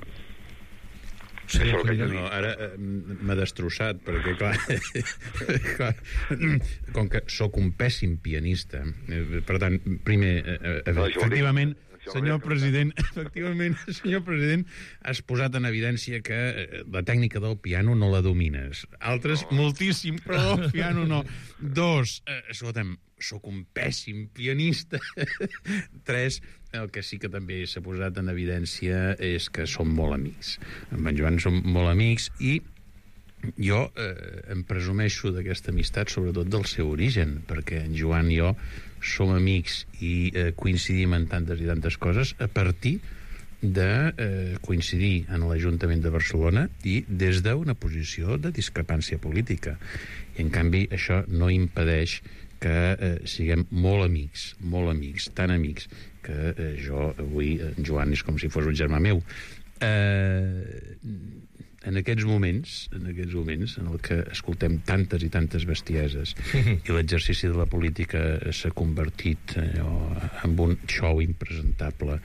Sí, no, ara eh, m'ha destrossat perquè clar, clar com que sóc un pèssim pianista eh, per tant, primer eh, eh, no, efectivament senyor president, efectivament, senyor president, has posat en evidència que eh, la tècnica del piano no la domines. Altres, no. Moltíssim, però el piano no. Dos, eh, escolta'm, sóc un pèssim pianista. Tres, el que sí que també s'ha posat en evidència és que som molt amics. Amb en Joan som molt amics i jo eh, em presumeixo d'aquesta amistat, sobretot del seu origen, perquè en Joan i jo som amics i eh, coincidim en tantes i tantes coses a partir de eh, coincidir en l'Ajuntament de Barcelona i des d'una posició de discrepància política. I, en canvi, això no impedeix que eh, siguem molt amics, molt amics, tan amics, que eh, jo avui, en Joan, és com si fos un germà meu. Eh... En aquests moments, en aquests moments en el que escoltem tantes i tantes bestieses i l'exercici de la política s'ha convertit allò, en un show impresentable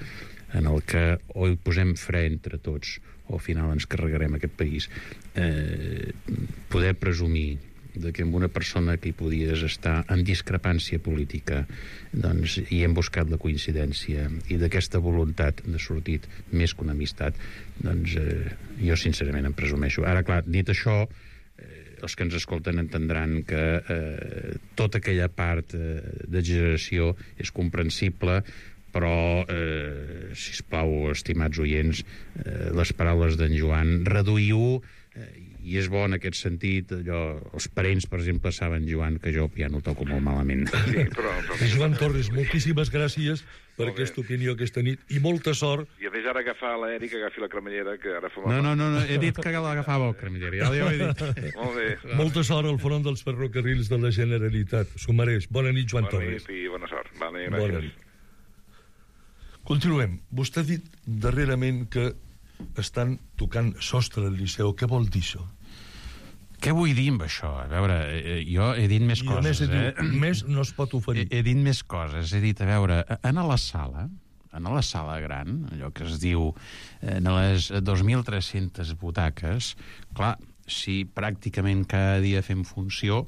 en el que o hi posem fre entre tots o al final ens carregarem aquest país, eh, poder presumir de que amb una persona que hi podies estar en discrepància política, doncs hi hem buscat la coincidència, i d'aquesta voluntat de sortit més que una amistat, doncs eh, jo sincerament em presumeixo. Ara, clar, dit això, eh, els que ens escolten entendran que eh, tota aquella part eh, d'exageració és comprensible, però, eh, sisplau, estimats oients, eh, les paraules d'en Joan, reduïu, eh, i és bo en aquest sentit, allò, els parents, per exemple, saben, Joan, que jo ja no toco molt malament. Sí, però... però... Joan Torres, moltíssimes gràcies per Molt aquesta bé. opinió aquesta nit, i molta sort. I a més ara agafar l'Eric, agafi la cremallera, que ara fa... No, no, no, no, he dit que l'agafava el cremallera, ja ho he dit. Molt bé. Molta sort al front dels ferrocarrils de la Generalitat. S'ho mereix. Bona nit, Joan Bona Torres. nit i bona sort. Vale, Bona gràcies. nit. Continuem. Vostè ha dit darrerament que estan tocant sostre al Liceu. Què vol dir això? Què vull dir amb això? A veure, eh, jo he dit més I a més, coses, he eh? dit, més no es pot oferir. He, he dit més coses. He dit, a veure, en la sala, en la sala gran, allò que es diu, en les dos mil tres-centes butaques, clar, si pràcticament cada dia fem funció,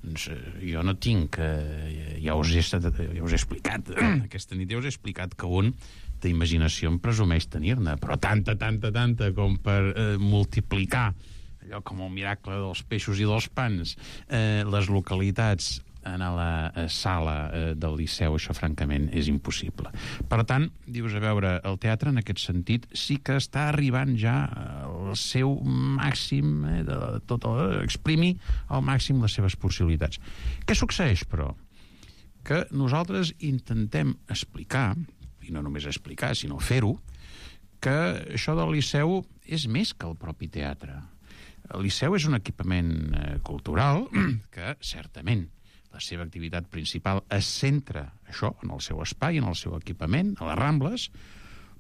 doncs jo no tinc... Eh, ja, us he, ja us he explicat, aquesta nit ja us he explicat que un d'imaginació em presumeix tenir-ne, però tanta, tanta, tanta com per eh, multiplicar allò com el miracle dels peixos i dels pans, eh, les localitats en la eh, sala eh, del Liceu, això francament és impossible. Per tant, dius, a veure, el teatre en aquest sentit sí que està arribant ja al seu màxim, eh, de tot el, exprimir al màxim les seves possibilitats. Què succeeix, però? Que nosaltres intentem explicar, i no només explicar, sinó fer-ho, que això del Liceu és més que el propi teatre. El Liceu és un equipament eh, cultural que, certament, la seva activitat principal es centra, això, en el seu espai, en el seu equipament, a les Rambles,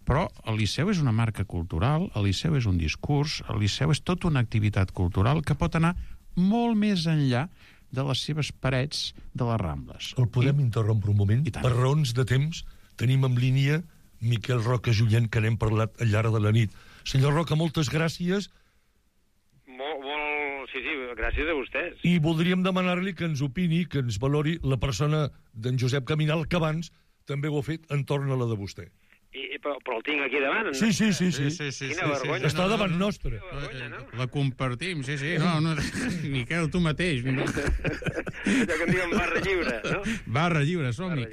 però el Liceu és una marca cultural, el Liceu és un discurs, el Liceu és tota una activitat cultural que pot anar molt més enllà de les seves parets de les Rambles. El podem I... interrompre un moment? Per raons de temps, tenim en línia Miquel Roca Junyent, que n'hem parlat al llarg de la nit. Senyor Roca, moltes gràcies. Molt, molt... Sí, sí, gràcies a vostès. I voldríem demanar-li que ens opini, que ens valori la persona d'en Josep Caminal, que abans també ho ha fet entorn a la de vostè. I, però, però el tinc aquí davant. Sí, sí, sí. sí. sí, sí Quina sí, vergonya. sí. Està davant nostre. Vergonya, no? La compartim, sí, sí. No, no, Miquel, tu mateix. Allò que en diuen barra lliure, no? Barra lliure, som-hi.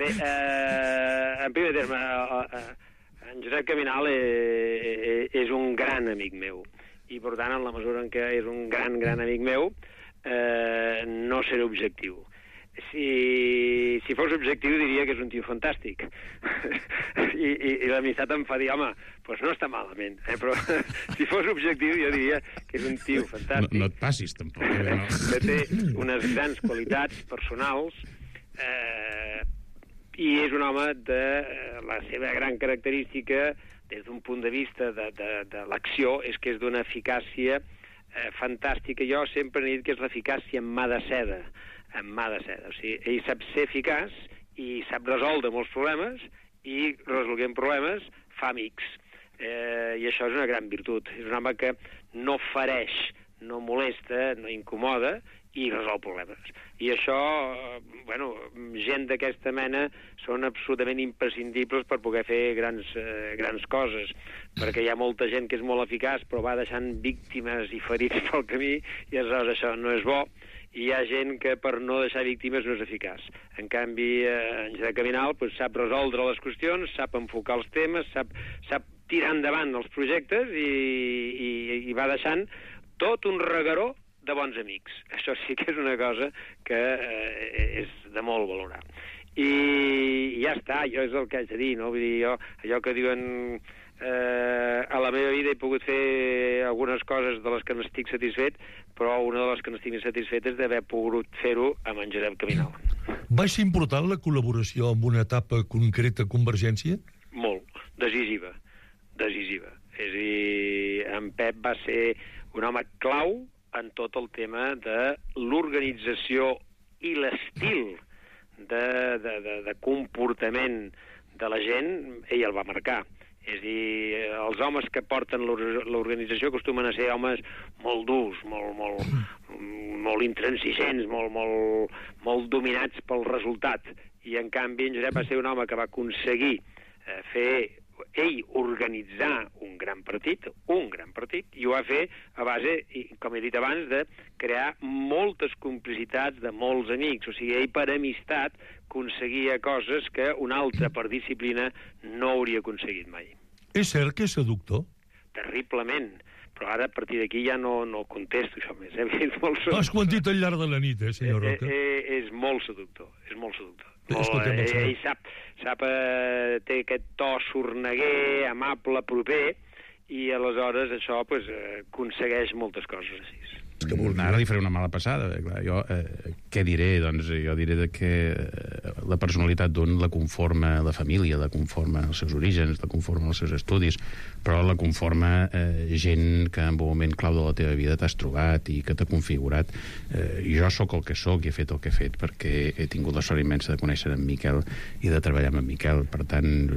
Bé, eh, en primer terme, eh, eh, en Josep Caminal eh, és un gran amic meu. I, per tant, en la mesura en què és un gran, gran amic meu, eh, no seré objectiu. Si, si fos objectiu diria que és un tio fantàstic. I, i, i l'amistat em fa dir, home, doncs no està malament. Eh? Però si fos objectiu jo diria que és un tio fantàstic. No, no et passis, tampoc. Eh? No. Que té unes grans qualitats personals, eh, i és un home de la seva gran característica des d'un punt de vista de, de, de l'acció, és que és d'una eficàcia eh, fantàstica. Jo sempre he dit que és l'eficàcia en mà de seda, en mà de seda. O sigui, ell sap ser eficaç i sap resoldre molts problemes, i resolguent problemes fa amics. Eh, I això és una gran virtut. És un home que no fereix, no molesta, no incomoda, i resol problemes. I això, bueno, gent d'aquesta mena són absolutament imprescindibles per poder fer grans, eh, grans coses, perquè hi ha molta gent que és molt eficaç però va deixant víctimes i ferits pel camí, i aleshores això no és bo, i hi ha gent que per no deixar víctimes no és eficaç. En canvi, eh, en Josep Caminal pues, sap resoldre les qüestions, sap enfocar els temes, sap, sap tirar endavant els projectes, i, i, i va deixant tot un regueró de bons amics. Això sí que és una cosa que eh, és de molt valorar. I ja està, jo és el que haig de dir, no? Vull dir, jo, allò que diuen eh, a la meva vida he pogut fer algunes coses de les que n'estic satisfet, però una de les que n'estic més satisfet és d'haver pogut fer-ho amb en Josep Caminal. Va ser important la col·laboració amb una etapa concreta a Convergència? Molt, decisiva, decisiva. És a dir, en Pep va ser un home clau en tot el tema de l'organització i l'estil de, de, de, de comportament de la gent, ell el va marcar. És a dir, els homes que porten l'organització acostumen a ser homes molt durs, molt, molt, molt intransigents, molt, molt, molt dominats pel resultat. I, en canvi, en Josep va ser un home que va aconseguir eh, fer ell organitzar un gran partit, un gran partit, i ho va fer a base, com he dit abans, de crear moltes complicitats de molts amics. O sigui, ell per amistat aconseguia coses que un altre per disciplina no hauria aconseguit mai. És cert que és seductor? Terriblement. Però ara, a partir d'aquí, ja no, no contesto això més. Eh? És molt seductor. Has quantit al llarg de la nit, eh, senyor Roca? Eh, eh, és molt seductor, és molt seductor. Molt, eh, ell sap, sap eh, té aquest to sorneguer, amable, proper, i aleshores això pues, eh, aconsegueix moltes coses així. Que ara li faré una mala passada. Clar, jo, eh, què diré? Doncs jo diré de que eh, la personalitat d'un la conforma la família, la conforma els seus orígens, la conforma els seus estudis, però la conforma eh, gent que en un moment clau de la teva vida t'has trobat i que t'ha configurat. Eh, jo sóc el que sóc i he fet el que he fet perquè he tingut la sort immensa de conèixer en Miquel i de treballar amb en Miquel. Per tant,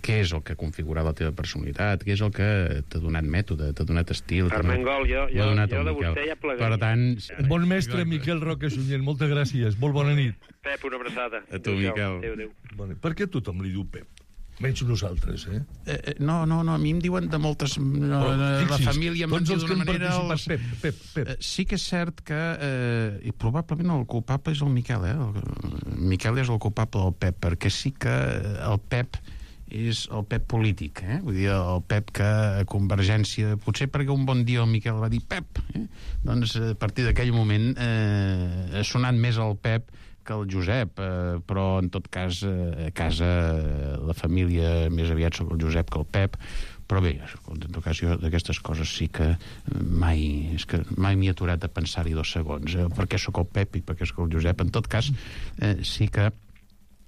què és el que ha configurat la teva personalitat? Què és el que t'ha donat mètode, t'ha donat estil? Armengol, jo, jo, jo de vostè ja plegaria. Per tant... Bon mestre, Miquel Roca Sunyer, moltes gràcies. Molt bona nit. Pep, una abraçada. A tu, Miquel. Adéu, adéu. Bueno, per què tothom li diu Pep? Menys nosaltres, eh? eh no, no, no, a mi em diuen de moltes... No, oh, la família em diu d'una manera... Els... Pep, Pep, Pep. Eh, sí que és cert que... Eh, i probablement el culpable és el Miquel, eh? El Miquel és el culpable del Pep, perquè sí que el Pep és el Pep polític, eh? Vull dir, el Pep que a Convergència, potser perquè un bon dia el Miquel va dir Pep, eh? Doncs a partir d'aquell moment eh, ha sonat més el Pep que el Josep, eh, però en tot cas eh, a casa eh, la família més aviat sóc el Josep que el Pep, però bé, en tot cas jo d'aquestes coses sí que mai, és que mai m'hi he aturat a pensar-hi dos segons, eh? Per què sóc el Pep i per què sóc el Josep. En tot cas eh, sí que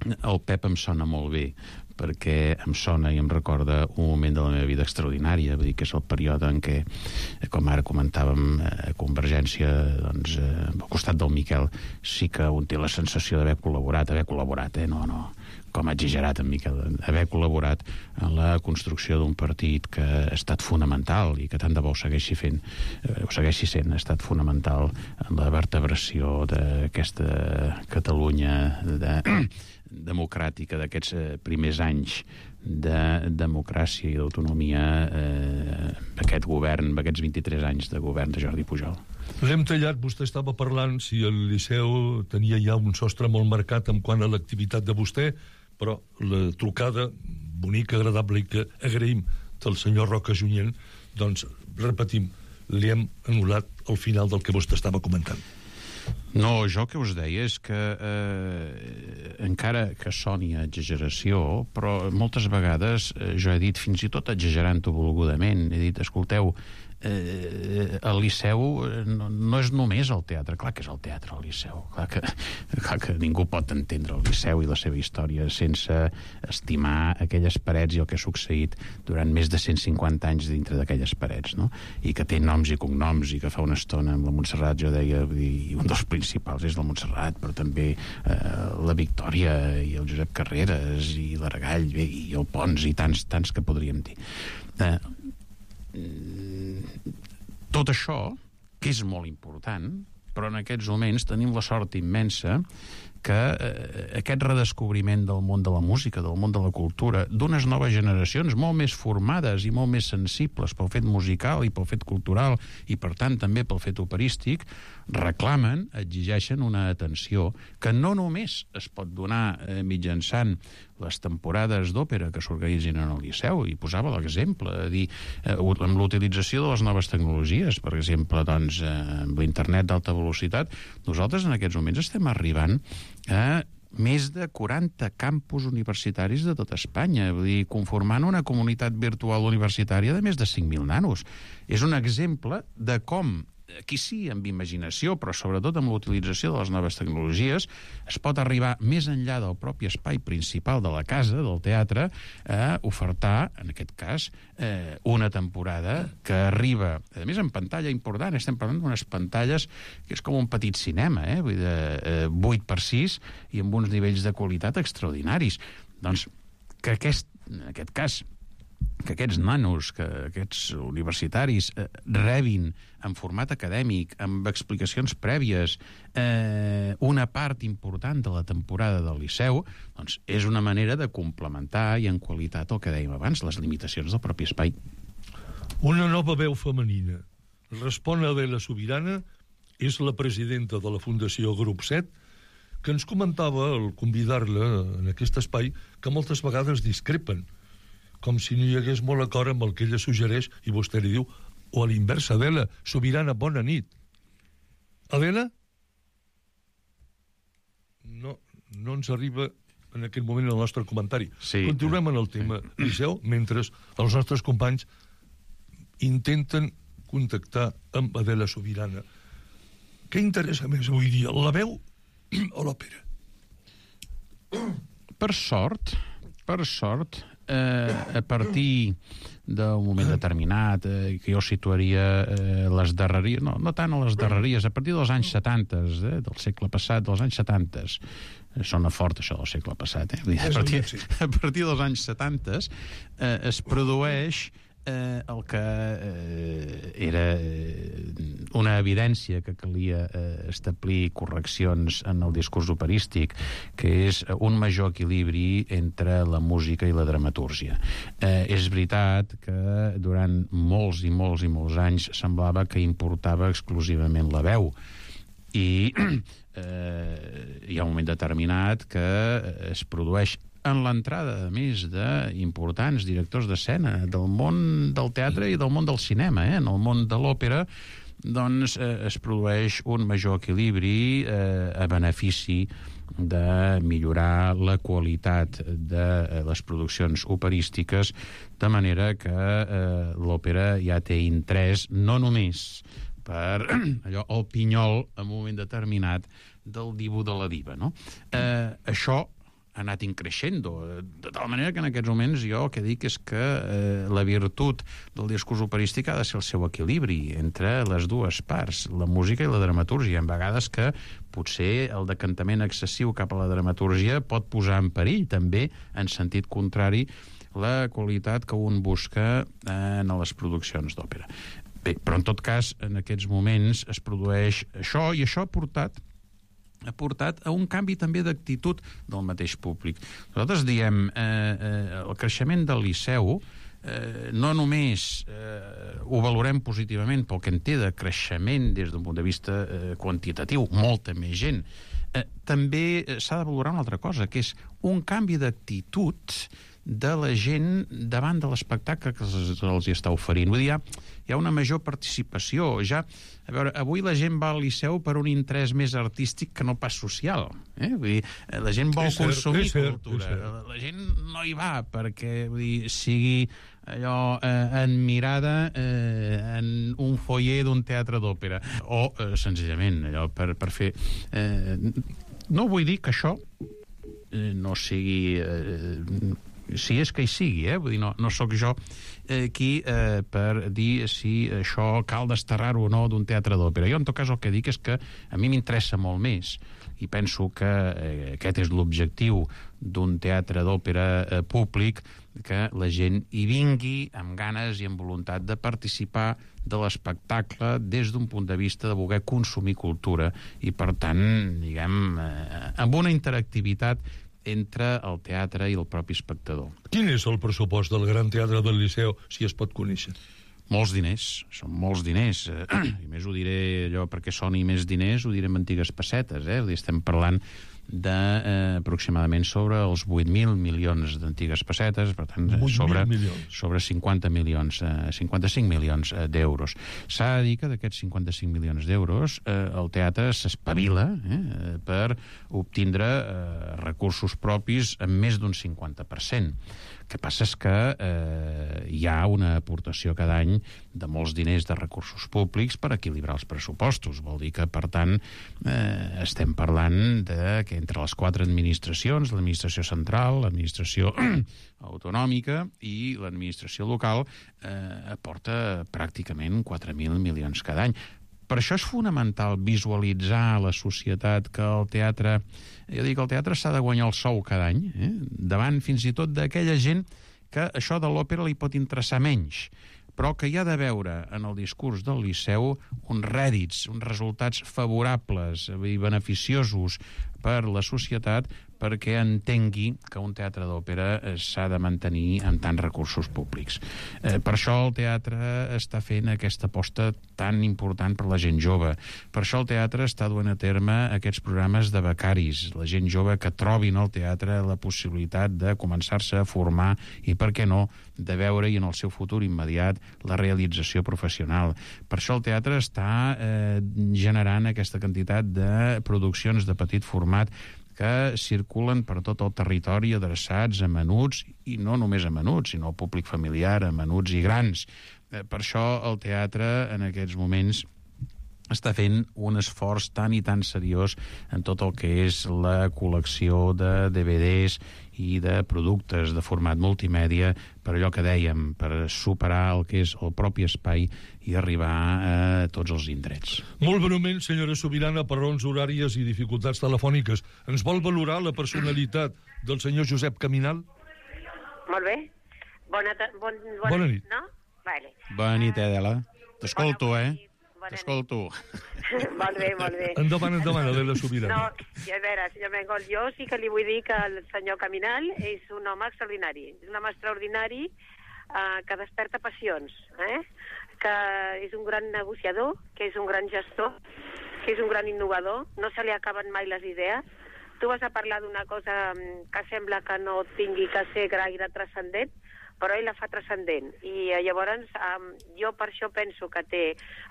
el Pep em sona molt bé, perquè em sona i em recorda un moment de la meva vida extraordinària, vull dir que és el període en què, com ara comentàvem, a Convergència, doncs, al costat del Miquel, sí que un té la sensació d'haver col·laborat, haver col·laborat, eh? No, no, com ha exagerat en Miquel, haver col·laborat en la construcció d'un partit que ha estat fonamental i que tant de bo ho segueixi fent, eh, ho segueixi sent, ha estat fonamental en la vertebració d'aquesta Catalunya de democràtica, d'aquests eh, primers anys de democràcia i d'autonomia, eh, aquest govern, aquests vint-i-tres anys de govern de Jordi Pujol. L'hem tallat, vostè estava parlant si el Liceu tenia ja un sostre molt marcat en quant a l'activitat de vostè, però la trucada bonica, agradable i que agraïm del senyor Roca Junyent, doncs, repetim, li hem anul·lat al final del que vostè estava comentant. No, jo el que us deia és que eh, encara que soni a exageració, però moltes vegades eh, jo he dit, fins i tot exagerant-ho volgudament, he dit, escolteu, eh, el Liceu no, no és només el teatre, clar que és el teatre el Liceu, clar que, clar que ningú pot entendre el Liceu i la seva història sense estimar aquelles parets i el que ha succeït durant més de cent cinquanta anys dintre d'aquelles parets, no? I que té noms i cognoms, i que fa una estona amb la Montserrat jo deia, i un dels principals és la Montserrat, però també eh, la Victòria i el Josep Carreras i l'Aragall i el Pons i tants, tants que podríem dir. Eh, tot això, que és molt important, però en aquests moments tenim la sort immensa que eh, aquest redescobriment del món de la música, del món de la cultura, d'unes noves generacions molt més formades i molt més sensibles pel fet musical i pel fet cultural i, per tant, també pel fet operístic, reclamen, exigeixen una atenció que no només es pot donar eh, mitjançant les temporades d'òpera que s'organitzin en el Liceu, i posava l'exemple, a dir, eh, amb l'utilització de les noves tecnologies, per exemple, doncs, eh, amb l'internet d'alta velocitat, nosaltres en aquests moments estem arribant a més de quaranta campus universitaris de tota Espanya, vull dir, conformant una comunitat virtual universitària de més de cinc mil nanos. És un exemple de com, aquí sí, amb imaginació, però sobretot amb l'utilització de les noves tecnologies, es pot arribar més enllà del propi espai principal de la casa, del teatre, a ofertar, en aquest cas, eh, una temporada que arriba, a més, en pantalla important, estem parlant d'unes pantalles que és com un petit cinema, eh? Vull dir, eh, vuit per sis i amb uns nivells de qualitat extraordinaris. Doncs, que aquest, en aquest cas, que aquests nanos, que aquests universitaris eh, rebin en format acadèmic, amb explicacions prèvies, eh, una part important de la temporada del Liceu, doncs és una manera de complementar i en qualitat el que dèiem abans, les limitacions del propi espai. Una nova veu femenina. Respon a Adela Sobirana, és la presidenta de la Fundació Grup set, que ens comentava, al convidar-la en aquest espai, que moltes vegades discrepen, com si no hi hagués molt acord amb el que ella suggereix, i vostè li diu, o a l'inversa, Adela, Sobirana, bona nit. Adela? No, no ens arriba en aquest moment el nostre comentari. Sí. Continuem en el tema sí. Liceu, mentre els nostres companys intenten contactar amb Adela Sobirana. Què interessa més avui dia, la veu o l'òpera? Per sort, per sort, eh, a partir d'un moment determinat, eh, que jo situaria eh, les darreries, no, no tant a les darreries, a partir dels anys setanta, eh, del segle passat, dels anys setanta, sona fort això del segle passat, eh? A partir, a partir dels anys setanta eh, es produeix eh, el que eh, era eh, una evidència que calia eh, establir correccions en el discurs operístic, que és un major equilibri entre la música i la dramatúrgia. Eh, és veritat que durant molts i molts i molts anys semblava que importava exclusivament la veu, i eh, hi ha un moment determinat que es produeix en l'entrada, a més, d'importants directors d'escena del món del teatre i del món del cinema, eh? En el món de l'òpera, doncs eh, es produeix un major equilibri eh, a benefici de millorar la qualitat de les produccions operístiques, de manera que eh, l'òpera ja té interès no només per allò, el pinyol en un moment determinat del divo de la diva, no? Eh, això ha anat increixent, de tal manera que en aquests moments jo el que dic és que eh, la virtut del discurs operístic ha de ser el seu equilibri entre les dues parts, la música i la dramatúrgia. En vegades que potser el decantament excessiu cap a la dramatúrgia pot posar en perill també, en sentit contrari, la qualitat que un busca eh, en les produccions d'òpera. Bé, però en tot cas, en aquests moments es produeix això, i això ha portat ha portat a un canvi també d'actitud del mateix públic. Nosaltres diem eh, eh, el creixement del Liceu eh, no només eh, ho valorem positivament pel que en té de creixement des d'un punt de vista eh, quantitatiu, molta més gent, eh, també s'ha de valorar una altra cosa, que és un canvi d'actitud de la gent davant de l'espectacle que els, els hi està oferint. Vull dir, hi ha, hi ha una major participació. Ja, a veure, avui la gent va al Liceu per un interès més artístic que no pas social. Eh? Vull dir, la gent vol és cert, consumir és cert, cultura. és cert. La gent no hi va perquè, vull dir, sigui allò eh, admirada eh, en un foyer d'un teatre d'òpera, o eh, senzillament allò per, per fer... Eh, no vull dir que això eh, no sigui... Eh, si és que hi sigui, eh? Vull dir, no, no sóc jo eh, qui eh, per dir si això cal desterrar-ho o no d'un teatre d'òpera. Jo, en tot cas, el que dic és que a mi m'interessa molt més, i penso que eh, aquest és l'objectiu d'un teatre d'òpera eh, públic, que la gent hi vingui amb ganes i amb voluntat de participar de l'espectacle des d'un punt de vista de voler consumir cultura, i per tant, diguem, eh, amb una interactivitat entre el teatre i el propi espectador. Quin és el pressupost del Gran Teatre del Liceu, si es pot conèixer? Molts diners, són molts diners. I més ho diré allò perquè soni més diners, ho diré amb antigues pessetes, eh? Estem parlant de eh, aproximadament sobre els vuit mil milions d'antigues pessetes, per tant, sobre, sobre cinquanta milions, eh, cinquanta-cinc milions eh, d'euros. S'ha de dir que d'aquests cinquanta-cinc milions d'euros eh, el teatre s'espavila eh, per obtindre eh, recursos propis en més d'un cinquanta per cent. El que passa és que eh, hi ha una aportació cada any de molts diners de recursos públics per equilibrar els pressupostos. Vol dir que, per tant, eh, estem parlant de que entre les quatre administracions, l'administració central, l'administració autonòmica i l'administració local, eh, aporta pràcticament quatre mil milions cada any. Per això és fonamental visualitzar la societat, que el teatre... Jo dic, el teatre s'ha de guanyar el sou cada any, eh? Davant fins i tot d'aquella gent que això de l'òpera li pot interessar menys, però que hi ha de veure en el discurs del Liceu uns rèdits, uns resultats favorables i beneficiosos per la societat, perquè entengui que un teatre d'òpera s'ha de mantenir amb tants recursos públics. Eh, per això el teatre està fent aquesta aposta tan important per la gent jove. Per això el teatre està duent a terme aquests programes de becaris, la gent jove que trobin al teatre la possibilitat de començar-se a formar i, per què no, de veure-hi en el seu futur immediat la realització professional. Per això el teatre està eh, generant aquesta quantitat de produccions de petit format que circulen per tot el territori adreçats a menuts, i no només a menuts, sinó al públic familiar, a menuts i grans. Eh, per això el teatre en aquests moments està fent un esforç tan i tan seriós en tot el que és la col·lecció de D V Ds i de productes de format multimèdia, per allò que dèiem, per superar el que és el propi espai i arribar a tots els indrets. Molt breument, senyora Subirana, per raons horàries i dificultats telefòniques, ens vol valorar la personalitat del senyor Josep Caminal? Molt bé. Bona, bon, bona, bona nit. No? Vale. Bona nit, Adela. T'escolto, eh? T'escolto. Molt bé, molt bé. Endavant, endavant, Adela Subirana. No, a veure, senyor Mengol, jo sí que li vull dir que el senyor Caminal és un home extraordinari. És un home extraordinari eh, que desperta passions, eh? Que és un gran negociador, que és un gran gestor, que és un gran innovador, no se li acaben mai les idees. Tu vas a parlar d'una cosa que sembla que no tingui que ser gaire transcendent, però ell la fa transcendent. I llavors um, jo per això penso que té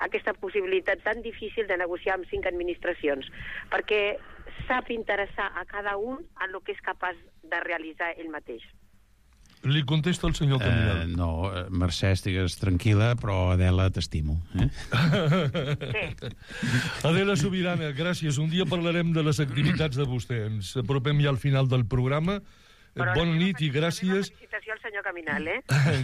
aquesta possibilitat tan difícil de negociar amb cinc administracions, perquè sap interessar a cada un en el que és capaç de realitzar ell mateix. Li contesta el senyor Caminal. Uh, no, Mercè, estigues tranquil·la, però Adela, t'estimo. Eh? Sí. Adela Subirana, gràcies. Un dia parlarem de les activitats de vostè. Ens apropem ja al final del programa. Però bona nit i gràcies. Una felicitació al senyor Caminal, eh?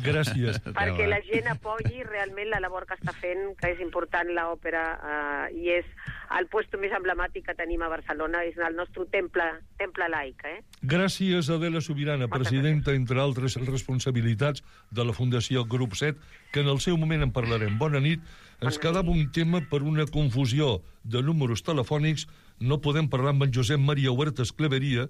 Gràcies. Perquè la gent apoyi realment la labor que està fent, que és important l'òpera, eh, i és el puesto més emblemàtic que tenim a Barcelona, és el nostre temple, temple laic, eh? Gràcies, Adela Subirana, presidenta, entre altres responsabilitats de la Fundació Grup set, que en el seu moment en parlarem. Bona nit. Ens quedava un tema per una confusió de números telefònics. No podem parlar amb en Josep Maria Huertas Cleveria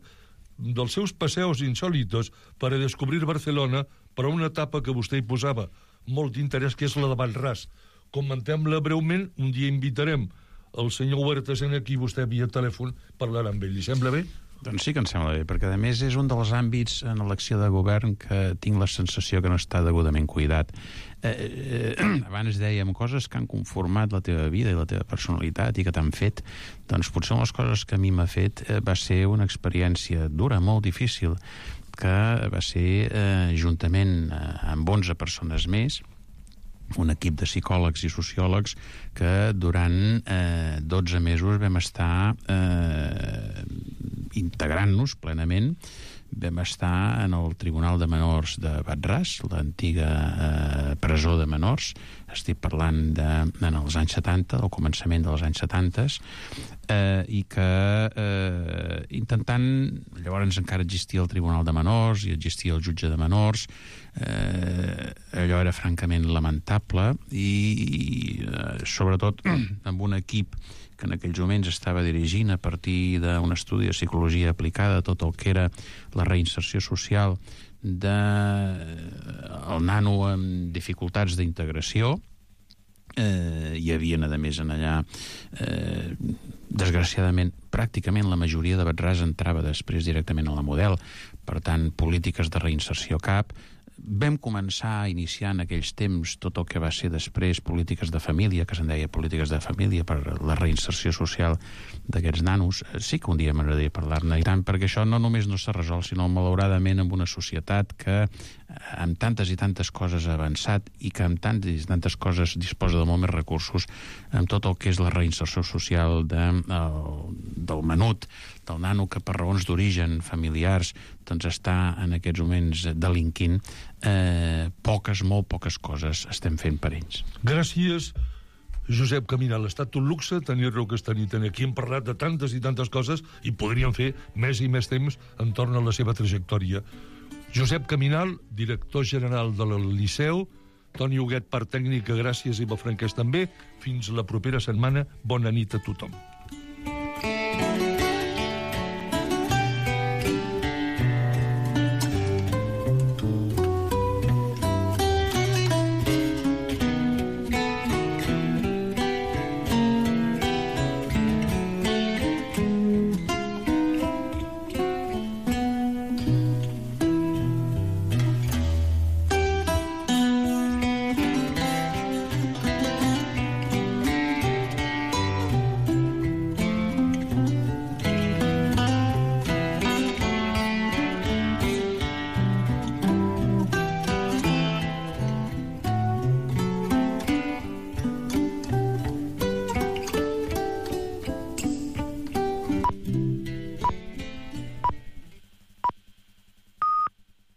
dels seus passeos insòlitos per a descobrir Barcelona, per a una etapa que vostè hi posava molt d'interès, que és la de Vallràs. Comentem-la breument, un dia invitarem el senyor Huertas en aquí, vostè via telèfon parlarà amb ell. Li sembla bé? Doncs sí que em sembla bé, perquè a més és un dels àmbits en l'acció de govern que tinc la sensació que no està degudament cuidat. Eh, eh, abans dèiem coses que han conformat la teva vida i la teva personalitat i que t'han fet. Doncs potser una de les coses que a mi m'ha fet eh, va ser una experiència dura, molt difícil, que va ser eh, juntament eh, amb onze persones més, un equip de psicòlegs i sociòlegs que durant eh, dotze mesos vam estar eh, integrant-nos plenament. Vam estar en el Tribunal de Menors de Vallràs, l'antiga eh, presó de menors. Estic parlant de, en els anys setanta, del començament dels anys setanta, eh, i que eh, intentant... Llavors encara existia el Tribunal de Menors i existia el jutge de menors. Eh, allò era francament lamentable i, i eh, sobretot amb un equip que en aquells moments estava dirigint a partir d'un estudi de psicologia aplicada tot el que era la reinserció social del nano amb dificultats d'integració. Eh, hi havia, a més, en allà, eh, desgraciadament, pràcticament la majoria de Vallràs entrava després directament a la Model, per tant, polítiques de reinserció cap. Vam començar a iniciar en aquells temps tot el que va ser després polítiques de família, que se'n deia polítiques de família per la reinserció social d'aquests nanos. Sí que un dia m'agradaria parlar-ne, i tant, perquè això no només no s'ha resolt, sinó malauradament amb una societat que amb tantes i tantes coses ha avançat i que amb tantes i tantes coses disposa de molt més recursos, amb tot el que és la reinserció social de, el, del menut, del nano que per raons d'origen familiars doncs està en aquests moments delinquint, eh, poques, molt poques coses estem fent per ells. Gràcies. Josep Caminal, ha estat un luxe tenir-lo aquesta nit aquí. Hem parlat de tantes i tantes coses i podríem fer més i més temps entorn a la seva trajectòria. Josep Caminal, director general del Liceu, Toni Huguet, part tècnica, gràcies, i Eva Franquès també. Fins la propera setmana. Bona nit a tothom.